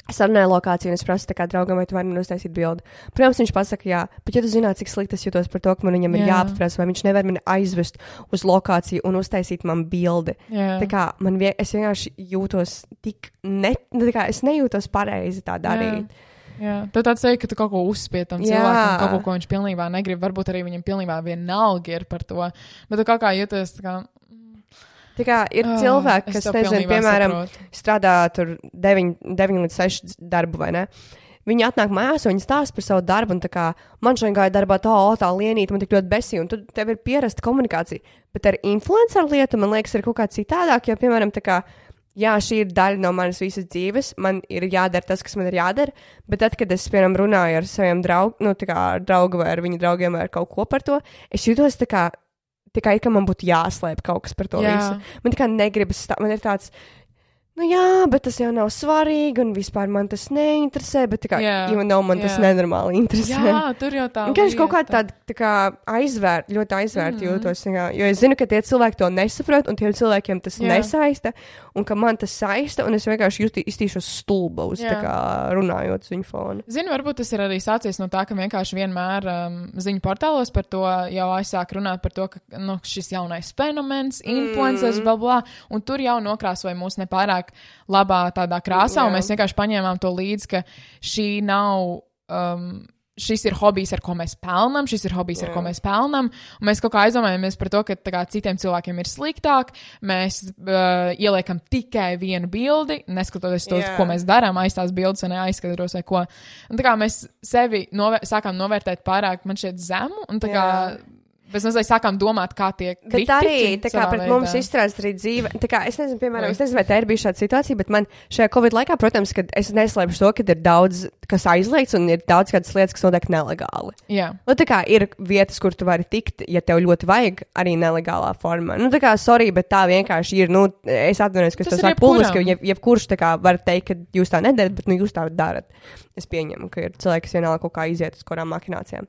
Sarunāju lokāciju, un es prasu tā kā draugam, vai tu vari man uztaisīt bildi. Protams, viņš pasaka, jā, bet ja tu zināt, cik slikti es jūtos par to, ka man viņam ir jāpaprasa, vai viņš nevar mani aizvest uz lokāciju un uztaisīt man bildi. Tā kā es vienkārši jūtos tik tā kā es nejūtos pareizi tā darīt. Jā, tu tāds sevi, ka tu kaut ko uzspied tam cilvēkam, kaut ko viņš pilnībā negrib, varbūt arī viņam pilnībā vienalga ir par to, bet tu kaut kā jūties tā kā... Tā kā ir cilvēki, kas, nezinu, piemēram, strādā tur 9 līdz 6 darbu, vai ne? Viņi atnāk mājās, un viņi stāsta par savu darbu, un tā kā man šodien gāja darbā tā lienīta, man tik ļoti besīja, un tev ir pierasta komunikācija. Bet ar influenceru lietu, man liekas, ir kaut kā citādāk, jo, piemēram, tā kā, jā, šī ir daļa no manas visas dzīves, man ir jādara tas, kas man ir jādara, bet tad, kad es, piemēram, runāju ar saviem draugu vai ar viņu draugiem vai ar kaut ko par to, es jūtos tā kā tikai, ka man būtu jāslēp kaut kas par to visu. Man tikai negribas, man ir tāds, nu jā, bet tas jau nav svarīgi, un vispār man tas neinteresē, bet tikai, man tas nenormāli interesē. Jā, tur jau tā lieta. Kaut kā tāda, tā kā ļoti aizvērt jūtos, jo es zinu, ka tie cilvēki to nesaprot, un tiem cilvēkiem tas nesaista, un ka man tas saista, un es vienkārši iztīšos stulba uz, tā kā runājot uz viņu fonu. Zinu, varbūt tas ir arī sācies no tā, ka vienkārši vienmēr ziņu portālos par to jau aizsāk runāt par to, ka šis jaunais fenomens, influencers, blablā, un tur jau nokrāsoja mūs nepārāk labā tādā krāsā, un mēs vienkārši paņēmām to līdzi, ka šī nav, šis ir hobijs, ar ko mēs pelnam, ar ko mēs pelnam, un mēs kaut kā aizdomājamies par to, ka tā kā citiem cilvēkiem ir sliktāk, mēs ieliekam tikai vienu bildi, neskatoties to, ko mēs darām, aiz tās bildes un aizskatros vai ko. Un tā kā mēs sevi sākām novērtēt pārāk, man šķiet, zemu, un tā kā Mēs mazliet sākām domāt, kā tiek kritiķi. Bet arī, tā kā pret mums izstrādās arī dzīve, tā kā, es nezinu, piemēram, vai tā ir bijusi šāda situācija, bet man šajā Covid laikā, protams, kad es neslēpšu to, ka ir daudz, kas aizliegts un ir daudz kādas lietas, kas notiek nelegāli. Jā. Nu, tā kā ir vietas, kur tu vari tikt, ja tev ļoti vajag, arī nelegālā formā. Nu, tā kā, sorry, bet tā vienkārši ir, nu, es atvainojos, ka es to saku publiski, jebkurš tā kā var teikt, ka jūs tā nedarat, bet, nu, jūs tā darat. Es pieņemu, ka ir cilvēki, kas vienalga kaut kā iziet uz kurām maķinācijām.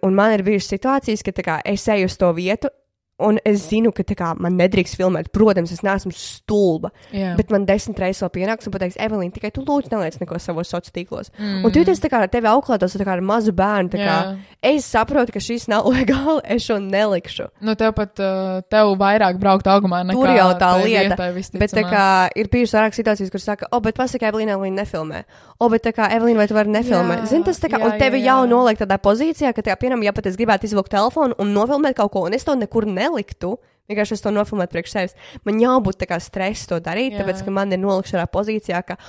Un man ir bijušas situācijas, ka kā, es eju uz to vietu, un es zinu, ka kā, man nedrīkst filmēt. Protams, es neesmu stulba, bet man 10 reizes vēl pienāks un pateiks, Evelīna, tikai tu lūdzu neliec neko savos sociālos tīklos. Un tu jūties tā kā ar tevi auklētos, tā kā ar mazu bērnu. Tā kā, es saprotu, ka šis nav legāli, es šo nelikšu. Nu, tev pat tev vairāk braukt augumā nekā tur jau tā lieta. Vietai, bet tā kā ir bijušas vairāk situācijas, kur saka, bet pasaka, Evelīna nefilmē. Bet tā kā, Evelīna, vai tu vari nefilmēt? Zini, tas tā kā, un tevi jau noliek tādā pozīcijā, ka, tā kā, piemēram, ja pat es gribētu izvilkt telefonu un nofilmēt kaut ko, un es to nekur neliktu, vienkārši es to nofilmētu priekš sevis. Man jau būtu tā kā stress to darīt, tāpēc, ka man ir nolikšanā pozīcijā, ka,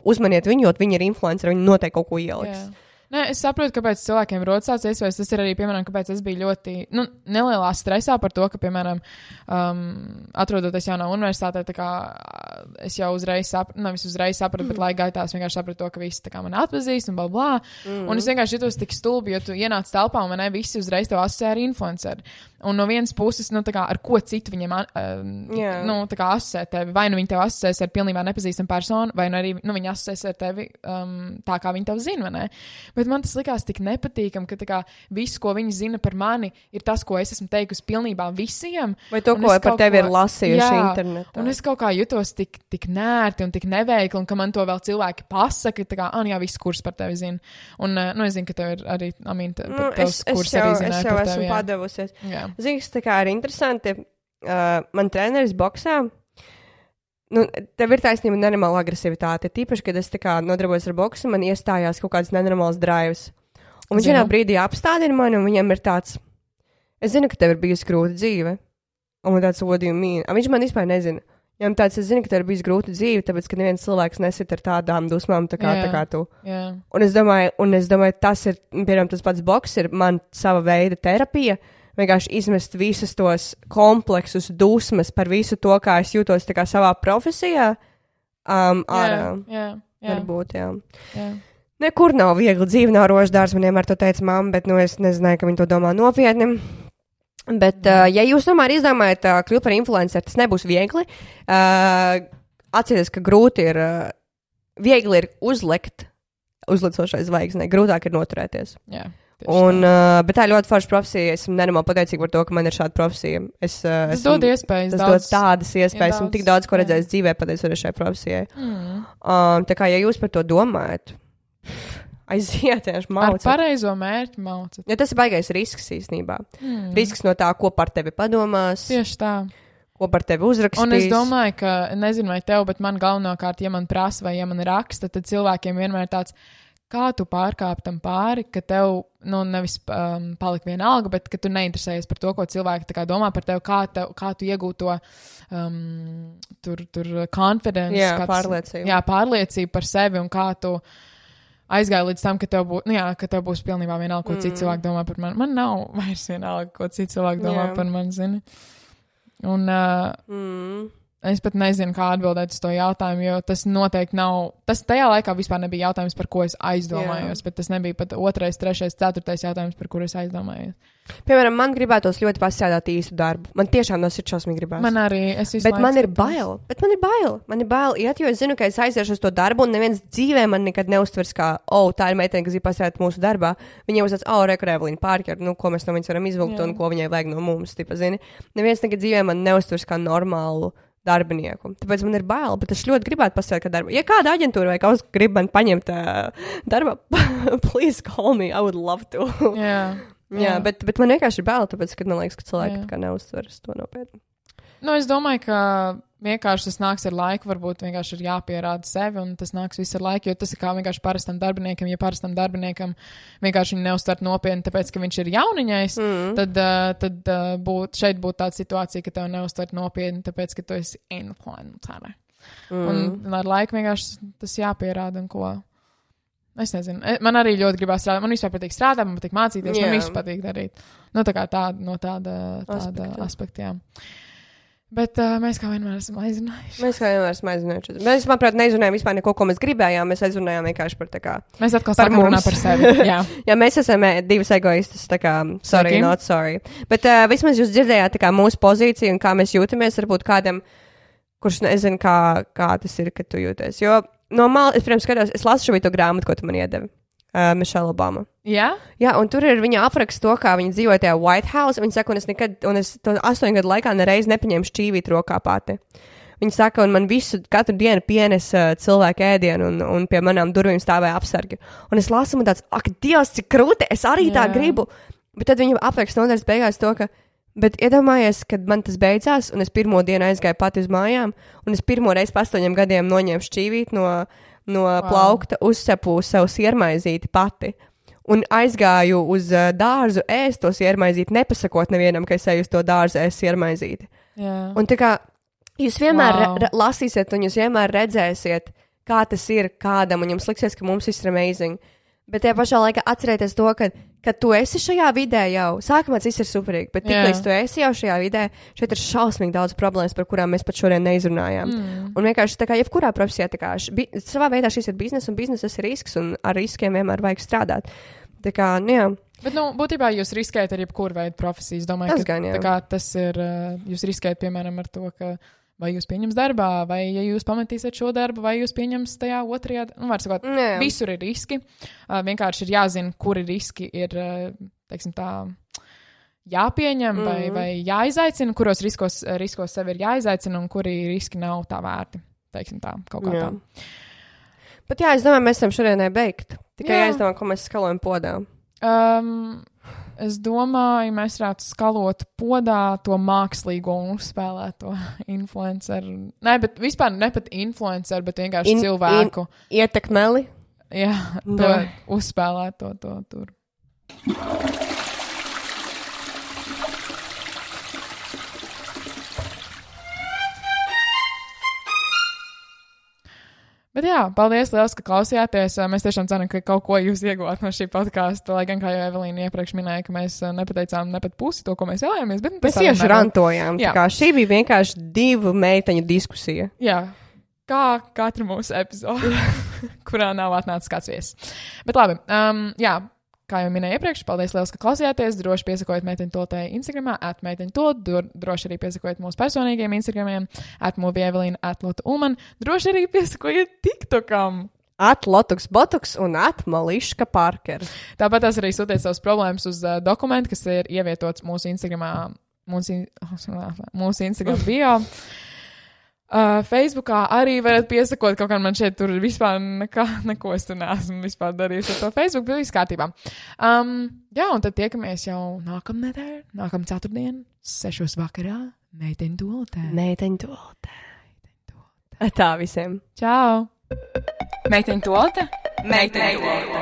uzmaniet viņu, jo viņi ir influenceri, viņi noteikti kaut ko ieliks. Nē, es saprotu, kāpēc cilvēkiem rodas tāds iespējas. Tas ir arī, piemēram, kāpēc es biju ļoti, nelielā stresā par to, ka, piemēram, atrodoties jaunā universitātē, tā kā es jau uzreiz sapratu, bet laika gaitā es vienkārši sapratu to, ka visi tā kā mani atpazīst un blablā. Un es vienkārši jutos tik stulbi, jo tu ienāc telpā un visi uzreiz tev asociē ar influenceri. Un no vienas puses, tā kā ar ko citu viņiem, tā kā asociē tevi. Vai nu viņi tev asociēs ar pilnībā nepazīstamu personu, vai nu arī, viņi asociēs ar tevi tā, kā viņi tev zina, vai ne? Bet man tas likās tik nepatīkam, ka tā kā viss, ko viņi zina par mani, ir tas, ko es esmu teikusi pilnībā visiem. Vai to, ko par tevi ir lasījuši internetā. Un es kaut kā jutos tik nērti un tik neveikli, un ka man to vēl cilvēki pasaka, tā kā, jā, viss kurs par tevi zina. Un, es zinu, ka tev ir arī, tavs kurs arī zināja par tevi. Es jau esmu padavusies. Zini, tā kā ir interesanti, man treneris boksā, tev ir taisnība nenormāla agresivitāte. Tīpaši, kad es tā kā nodarbojos ar boksu, man iestājās kaut kāds nenormāls drives. Un viņš vienā brīdī apstādina mani, un viņam ir tāds, es zinu, ka tev ir bijusi grūta dzīve. Un man tāds, what do you mean? Viņš man vispār nezina. Viņam tāds, es zinu, ka tev ir bijusi grūta dzīve, tāpēc, ka neviens cilvēks nesit ar tādām dusmām, tā kā tu. Un es domāju, tas ir, piemēram, tas pats boks ir man sava veida terapija. Vienkārši izmest visus tos kompleksus, dusmas par visu to, kā es jūtos tā kā savā profesijā. Ārā. Jā. Varbūt, jā. Nekur nav viegli dzīve, nav rožu dārs, man vienmēr to teica mamma, bet, es nezināju, ka viņi to domā nopietni. Bet, ja jūs tomēr izdomājat kļūt par influenceru, tas nebūs viegli. Atcerieties, ka grūti ir, viegli ir uzlicošai zvaigznei, grūtāk ir noturēties. Jā. Bet tā ir ļoti forša profesija. Esmu nenormāli pateicīga par to, ka man ir šāda profesija. Tas dod iespējas. Tas dod tādas iespējas. Esmu tik daudz, ko redzējis dzīvē, pateicoties šai profesijai. Tā kā, ja jūs par to domājat, aiziet, vienkārši maucat. Ar pareizo mērķi maucat. Ja tas ir baigais risks īstenībā. Risks no tā, ko par tevi padomās. Tieši tā. Ko par tevi uzrakstīs. Un es domāju, ka, nezinu vai tev, bet man galvenokārt, ja man prasa vai ja man raksta, tad cilvēkiem vienmēr tāds, kā tu pārkāp tam pāri, ka tev, nevis palika vienalga, bet ka tu neinteresējies par to, ko cilvēki tā kā domā par tevi, kā tu iegūt to tur confidence. Jā, pārliecību. Jā, pārliecību par sevi un kā tu aizgāja līdz tam, ka tev būs pilnībā vienalga, ko citi cilvēki domā par mani. Man nav vairs vienalga, ko citi cilvēki domā par mani, zini. Un es pat nezinu, kā atbildēt uz to jautājumu, jo tas noteikti nav, tas tajā laikā vispār nebija jautājums, par ko es aizdomājos, bet tas nebija pat 2., 3., 4. jautājums, par kuru es aizdomājos. Piemēram, man gribētos ļoti pastrādāt īstu darbu. Man tiešām no sirds šausmīgi gribās. Man arī, bet man ir bail. Man ir bail iet, jo es zinu, ka es aiziešu uz to darbu, un neviens dzīvē man nekad neuztvers kā, tā ir meitene, kas ir pastrādāt mūsu darbā. Viņiem uzsāc, Reka Evelīna Parker, ko mēs no viņas varam izvilkt un ko viņai vajag no mums, tipa, zini. Neviens nekad dzīvē man neuztvers kā normālu darbinieku. Tāpēc man ir bail, bet es ļoti gribētu pastrādāt kā darbu. Ja kāda aģentūra vai kaut kas grib man paņemt darba, please call me, I would love to. Jā, bet man vienkārši ir bail, tāpēc, ka man liekas, ka cilvēki kā neuztveras to nopietni. Es domāju, ka vienkārši tas nāks ar laiku, varbūt vienkārši ir jāpierāda sevi, un tas nāks visu ar laiku, jo tas ir kā vienkārši parastam darbiniekam, ja parastam darbiniekam vienkārši viņu neuztvert nopietni, tāpēc, ka viņš ir jauniņais, tad šeit būtu tāda situācija, ka tev neuztvert nopietni, tāpēc, ka tu esi influencer. Un ar laiku vienkārši tas jāpierāda un ko. Es nezinu. Man arī ļoti gribās strādāt. Man vispār patīk strādāt, man patīk mācīties, man visu patīk darīt. Tā kā tāda aspekta, jā. Bet mēs kā vienmēr esam aizrunājuši. Mēs, manuprāt, neizrunājām vispār neko, ko mēs gribējām. Mēs aizrunājām vienkārši par tā kā. Mēs atkal sākam runāt par sevi. Jā. Jā, mēs esam divas egoistas, tā kā sorry, not sorry. Bet vismaz jūs dzirdējāt tā kā mūsu pozīciju un kā mēs jūtamies, varbūt kādam, kurš nezinu, kā tas ir, kad tu jūties. Jo normāli, es, pirms skatos, es lasu šo to grāmatu, ko tu man iedevi. Michelle Obama. Jā? Jā, un tur ir viņa apraksts to, kā viņa dzīvoja tajā White House. Viņa saka, un es to 8 gadu laikā nereiz nepaņēmu šķīvīt rokā pati. Viņa saka, un man katru dienu pienes cilvēku ēdienu, un pie manām durvīm stāvēja apsargi. Un es lasu, un tāds, ak, Dievs, cik krūti, es arī tā gribu. Bet tad viņa apraksts nodaļas beigās to, ka, bet iedomājies, kad man tas beidzās, un es pirmo dienu aizgāju pati uz mājām, un es pirmo reizi pa 8 gadiem noņēmu šķīvīt no plaukta, uzcepu sev siermaizīti pati un aizgāju uz dārzu ēst to siermaizīti, nepasakot nevienam, ka es eju uz to dārzu ēst siermaizīti. Un tā kā jūs vienmēr lasīsiet un jūs vienmēr redzēsiet, kā tas ir kādam, un jums liksies, ka mums viss ir amazing. Bet tajā pašā laikā atcerieties to, ka tu esi šajā vidē jau, sākumā viss ir superīgi, bet tiklīdz tu esi jau šajā vidē, šeit ir šausmīgi daudz problēmas, par kurām mēs pat šodien neizrunājām. Un vienkārši tā kā jebkurā profesijā, tā kā savā veidā šis ir biznes, un bizneses ir risks, un ar riskiem vienmēr vajag strādāt. Tā kā, jā. Bet, būtībā jūs riskējat ar jebkuru veidu profesiju. Es domāju, ka tas ir, jūs riskējat, piemēram, ar to, ka vai jūs pieņems darbā, vai ja jūs pametīsiet šo darbu, vai jūs pieņems tajā otrajā, var sakot, visur ir riski. Vienkārši ir jāzina, kuri riski ir, teiksim tā, jāpieņem vai jāizaicina, kuros riskos sevi ir jāizaicina un kuri riski nav tā vērti, teiksim tā, kaut kā tā. Bet jā, es domāju, mēs esam šodienai beigt. Tikai jāizdomā, ko mēs skalojam podā. Es domāju, mēs varētu skalot podā to mākslīgo un uzspēlēto influenceru. Nē, bet vispār ne pat influenceru, bet vienkārši cilvēku. Ietekmeli? Jā, to uzspēlēto to tur. Bet jā, paldies liels, ka klausījāties. Mēs tiešām ceram, ka kaut ko jūs ieguvāt no šī podkāsta, lai gan, kā jau Evelīna iepriekš minēja, ka mēs nepateicām ne pat pusi to, ko mēs vēlējāmies. Bet mēs tieši rantojām. Tā kā šī bija vienkārši 2 meiteņu diskusija. Jā. kā katra mūsu epizode, kurā nav atnācis kāds viesis. Bet labi, jā, kā jau minēju iepriekš, paldies liels, ka klausījāties. Droši piesakojiet Meiteņu Toltei Instagramā, @Meiteņu Tolt, droši arī piesakojiet mūsu personīgiem Instagramiem, @Movievelina, @Lota Ulman, droši arī piesakojiet TikTokam. @Lotuks Botuks un @Mališka Parker. Tāpat tās arī sūtiet savas problēmas uz dokumentu, kas ir ievietots mūsu Instagramā, mūsu Instagram bio. Facebookā arī varat piesakot, kaut kā man šeit tur vispār neko es tur neesmu vispār darījusi ar to Facebook, bet viss kārtībā. Jā, un tad tiekamies jau nākamā ceturtdien, 6 vakarā, Meiteņu Toltē. Meiteņu Toltē. Tā visiem. Čau! Meiteņu Tolte? Meiteņu Tolte.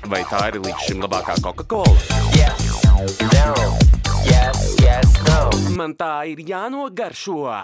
Vai tā ir līdz šim labākā Coca-Cola? Yes, no. Yes, no. Man tā ir jānogaršo.